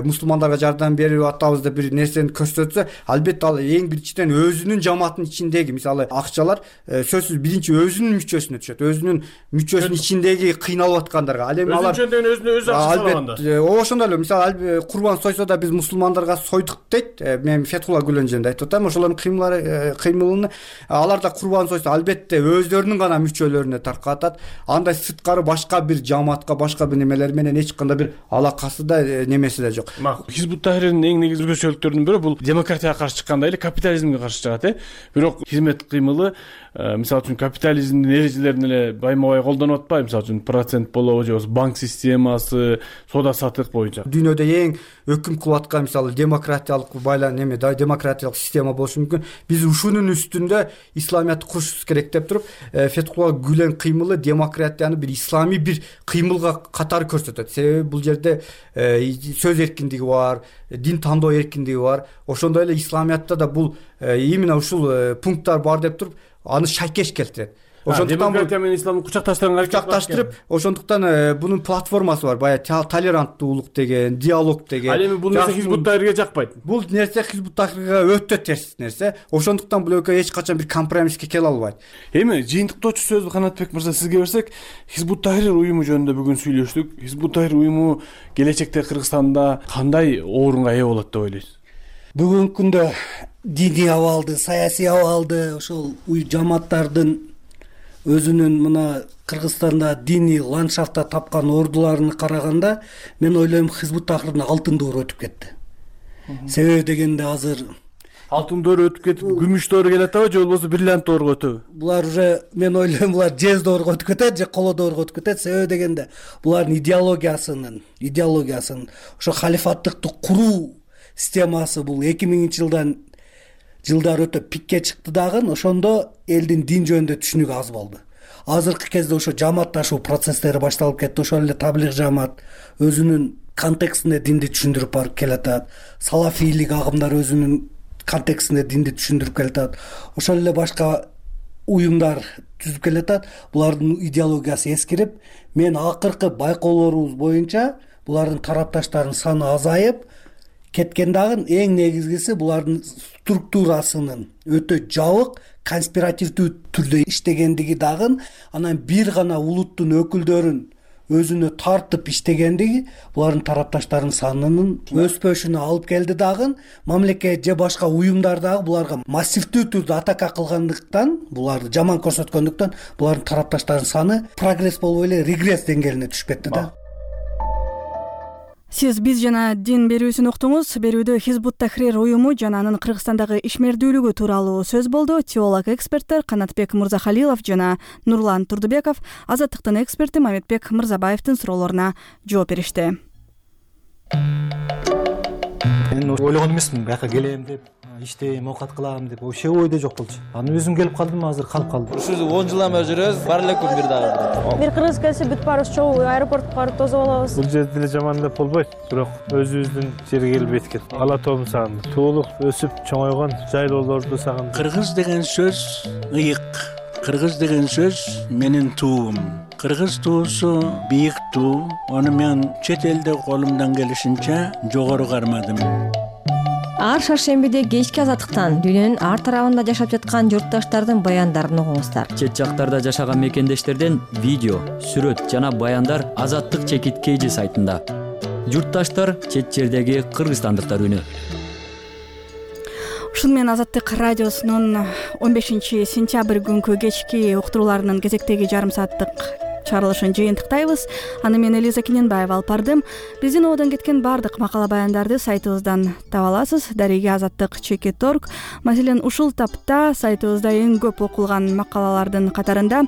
мусулмандарга жардам берип атабыз деп бир нерсени көрсөтсө, албетте ал эң биринчиден өзүнүн жамаатынын ичиндеги мисалы акчалар сөзсүз биринчи өзүнүн мүчөсүнө түшөт. Өзүнүн мүчөсүнүн ичиндеги кыйналып аткандарга. Ал эми алар өзүнө өзү акча салганда. Ошондой эле мисалы курбан сойсо да биз мусулмандарга сойдук дейт. Мен Фетулла Гүлен жөнүндө айтып атам. Ошолордун кыймылары кыймылын алар да курбан сойсо албетте өздөрүнүн гана мүчөлөрүнө таркатат. Андай сырткары башка бир жамаатка, башка бир немелер менен эч кандай бир алакасы да немеси да жок. Хизбут Тахрирдин эң негизги өзгөчөлүктөрүнүн бирөө бул демократияга каршы чыкканда эле капитализмге каршы чыгат, э. Бирок хизмет кыймылы мисалы үчүн капитализмдин эрежелерин эле байма-бай колдонуп атпайбы? Мисалы үчүн процент болобу же болбосо банк системасы, соода саттык боюнча. Дүйнөдө эң өкүм кылып аткан мисалы демократиялык байлан неме да демократиялык система болушу мүмкүн. Биз ушунун үстүндө исламиятты курушубуз керек деп туруп, Фетулла Гүлен кыймылы демократияны бир исламий бир кыймылга катары көрсөтөт. Себеби бул жерде сөз эркиндиги бар, дин тандоо эркиндиги бар. Ошондой эле исламиятта да бул именно ушул пункттар бар деп туруп, аны шайкеш келтирет. Ошондуктан демократия менен исламды кучакташтырганга кучакташтырып, ошондуктан бунун платформасы бар, баягы толеранттуулук деген, диалог деген. Ал эми бул нерсе Хизбут Тахрирге жакпайт. Бул нерсе Хизбут Тахрирге өтө терс нерсе. Ошондуктан бул экөө эч качан бир компромисске келе албайт. Эми жыйынтыктоочу сөздү Канатбек мырза сизге берсек, Хизбут Тахрир уюму жөнүндө бүгүн сүйлөштүк. Хизбут Тахрир уюму келечекте Кыргызстанда кандай орунга ээ болот деп ойлойсуз? Бүгүнкү күндө диний абалды, саясий абалды, ошол жамааттардын өзүнүн мына Кыргызстанда диний ландшафтта тапкан ордуларына караганда, мен ойлойм Хизбут Тахрирдин алтын доору өтүп кетти. Себеби дегенде азыр алтын доору өтүп кетип, күмүш доору келатабы же болбосо бриллиант дооруга өтөбү? Булар уже мен ойлойм булар жез дооруга өтүп кетет же коло дооруга өтүп кетет. Себеби дегенде булардын идеологиясынын, идеологиясын, ошо халифаттыкты куруу системасы бул эки миңинчи жылдан жылдар өтө пикке чыкты дагы, ошондо элдин дин жөнүндө түшүнүгү аз болду. Азыркы кезде ошо жамаатташуу процесстери башталып кетти. Ошол эле таблиг жамаат өзүнүн контекстинде динди түшүндүрүп барып келатат. Салафийлик агымдар өзүнүн контекстинде динди түшүндүрүп келатат. Ошол эле башка уюмдар түзүп келатат. Булардын идеологиясы эскирип, мен акыркы байкоолорубуз боюнча булардын тарапташтарынын саны азайып кеткен дагы, эң негизгиси булардын структурасынын өтө жабык, конспиративдүү түрдө иштегендиги дагы, анан бир гана улуттун өкүлдөрүн өзүнө тартып иштегендиги булардын тарапташтарынын санынын өспөшүнө алып келди дагы мамлекет же башка уюмдар дагы буларга массивдүү түрдө атака кылгандыктан, буларды жаман көрсөткөндүктөн булардын тарапташтарынын саны прогресс болбой эле регресс деңгээлине түшүп кетти да. Сиз биз жана дин берүүсүн уктуңуз. Берүүдө Хизб ут-Тахрир уюму жана анын Кыргызстандагы ишмердүүлүгү тууралуу сөз болду. Теолог эксперттер Канатбек Мырзахалилов жана Нурлан Турдубеков Азаттыктын эксперти Маметбек Мырзабаевдин суроолоруна жооп беришти. Мен ойлогон эмесмин бияка келем деп, иштейм, оокат кылам деп, вообще ойдо жок болчу. Анан өзүм келип калдым, азыр калып калдым. Ушул он жылдан бери жүрөбүз, бар эле күн бир дагы. Бир кыргыз келсе бүт баарыбыз чогуу аэропортко барып тосуп алабыз. Бул жерде деле жаман деп болбойт, бирок өзүбүздүн жерге келип эткен. Ала тоом сагынды. Туулук өсүп чоңойгон жайлоолорду сагынды. Кыргыз деген сөз ыйык. Кыргыз деген сөз менин туум. Кыргыз туусу бийик туу. Аны мен чет элде колумдан келишинче жогору кармадым. Ар шаршембиде кечки Азаттыктан дүйнөнүн ар тарабында жашап жаткан журтташтардын баяндарын угуңуздар. Чет жактарда жашаган мекендештерден видео, сүрөт жана баяндар Азаттык чекит кейжи сайтында. Журтташтар чет жердеги кыргызстандыктар үнү. Ушуну менен Азаттык радиосунун он бешинчи сентябрь күнкү кечки уктурууларынын кезектеги жарым сааттык чыгарылышын жыйынтыктайбыз. Аны мен Элиза Кененбаева алып бардым. Биздин ободон кеткен бардык макала баяндарды сайтыбыздан таба аласыз. Дареге Азаттык чекит точка орг. Маселен, ушул тапта сайтыбызда эң көп окулган макалалардын катарында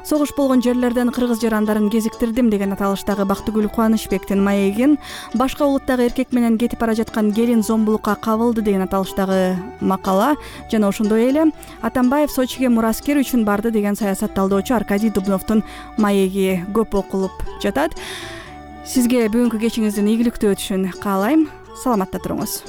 согуш болгон жерлерден кыргыз жарандарын кезиктирдим деген аталыштагы Бактыгүл Кубанычбектин маегин, башка улуттагы эркек менен кетип бара жаткан келин зомбулукка кабылды деген аталыштагы макала жана ошондой эле Атамбаев Сочиге мураскер үчүн барды деген саясат талдоочу Аркадий Дубновдун маеги көп окулуп жатат. Сизге бүгүнкү кечиңиздин ийгиликтүү өтүшүн каалайм. Саламатта туруңуз.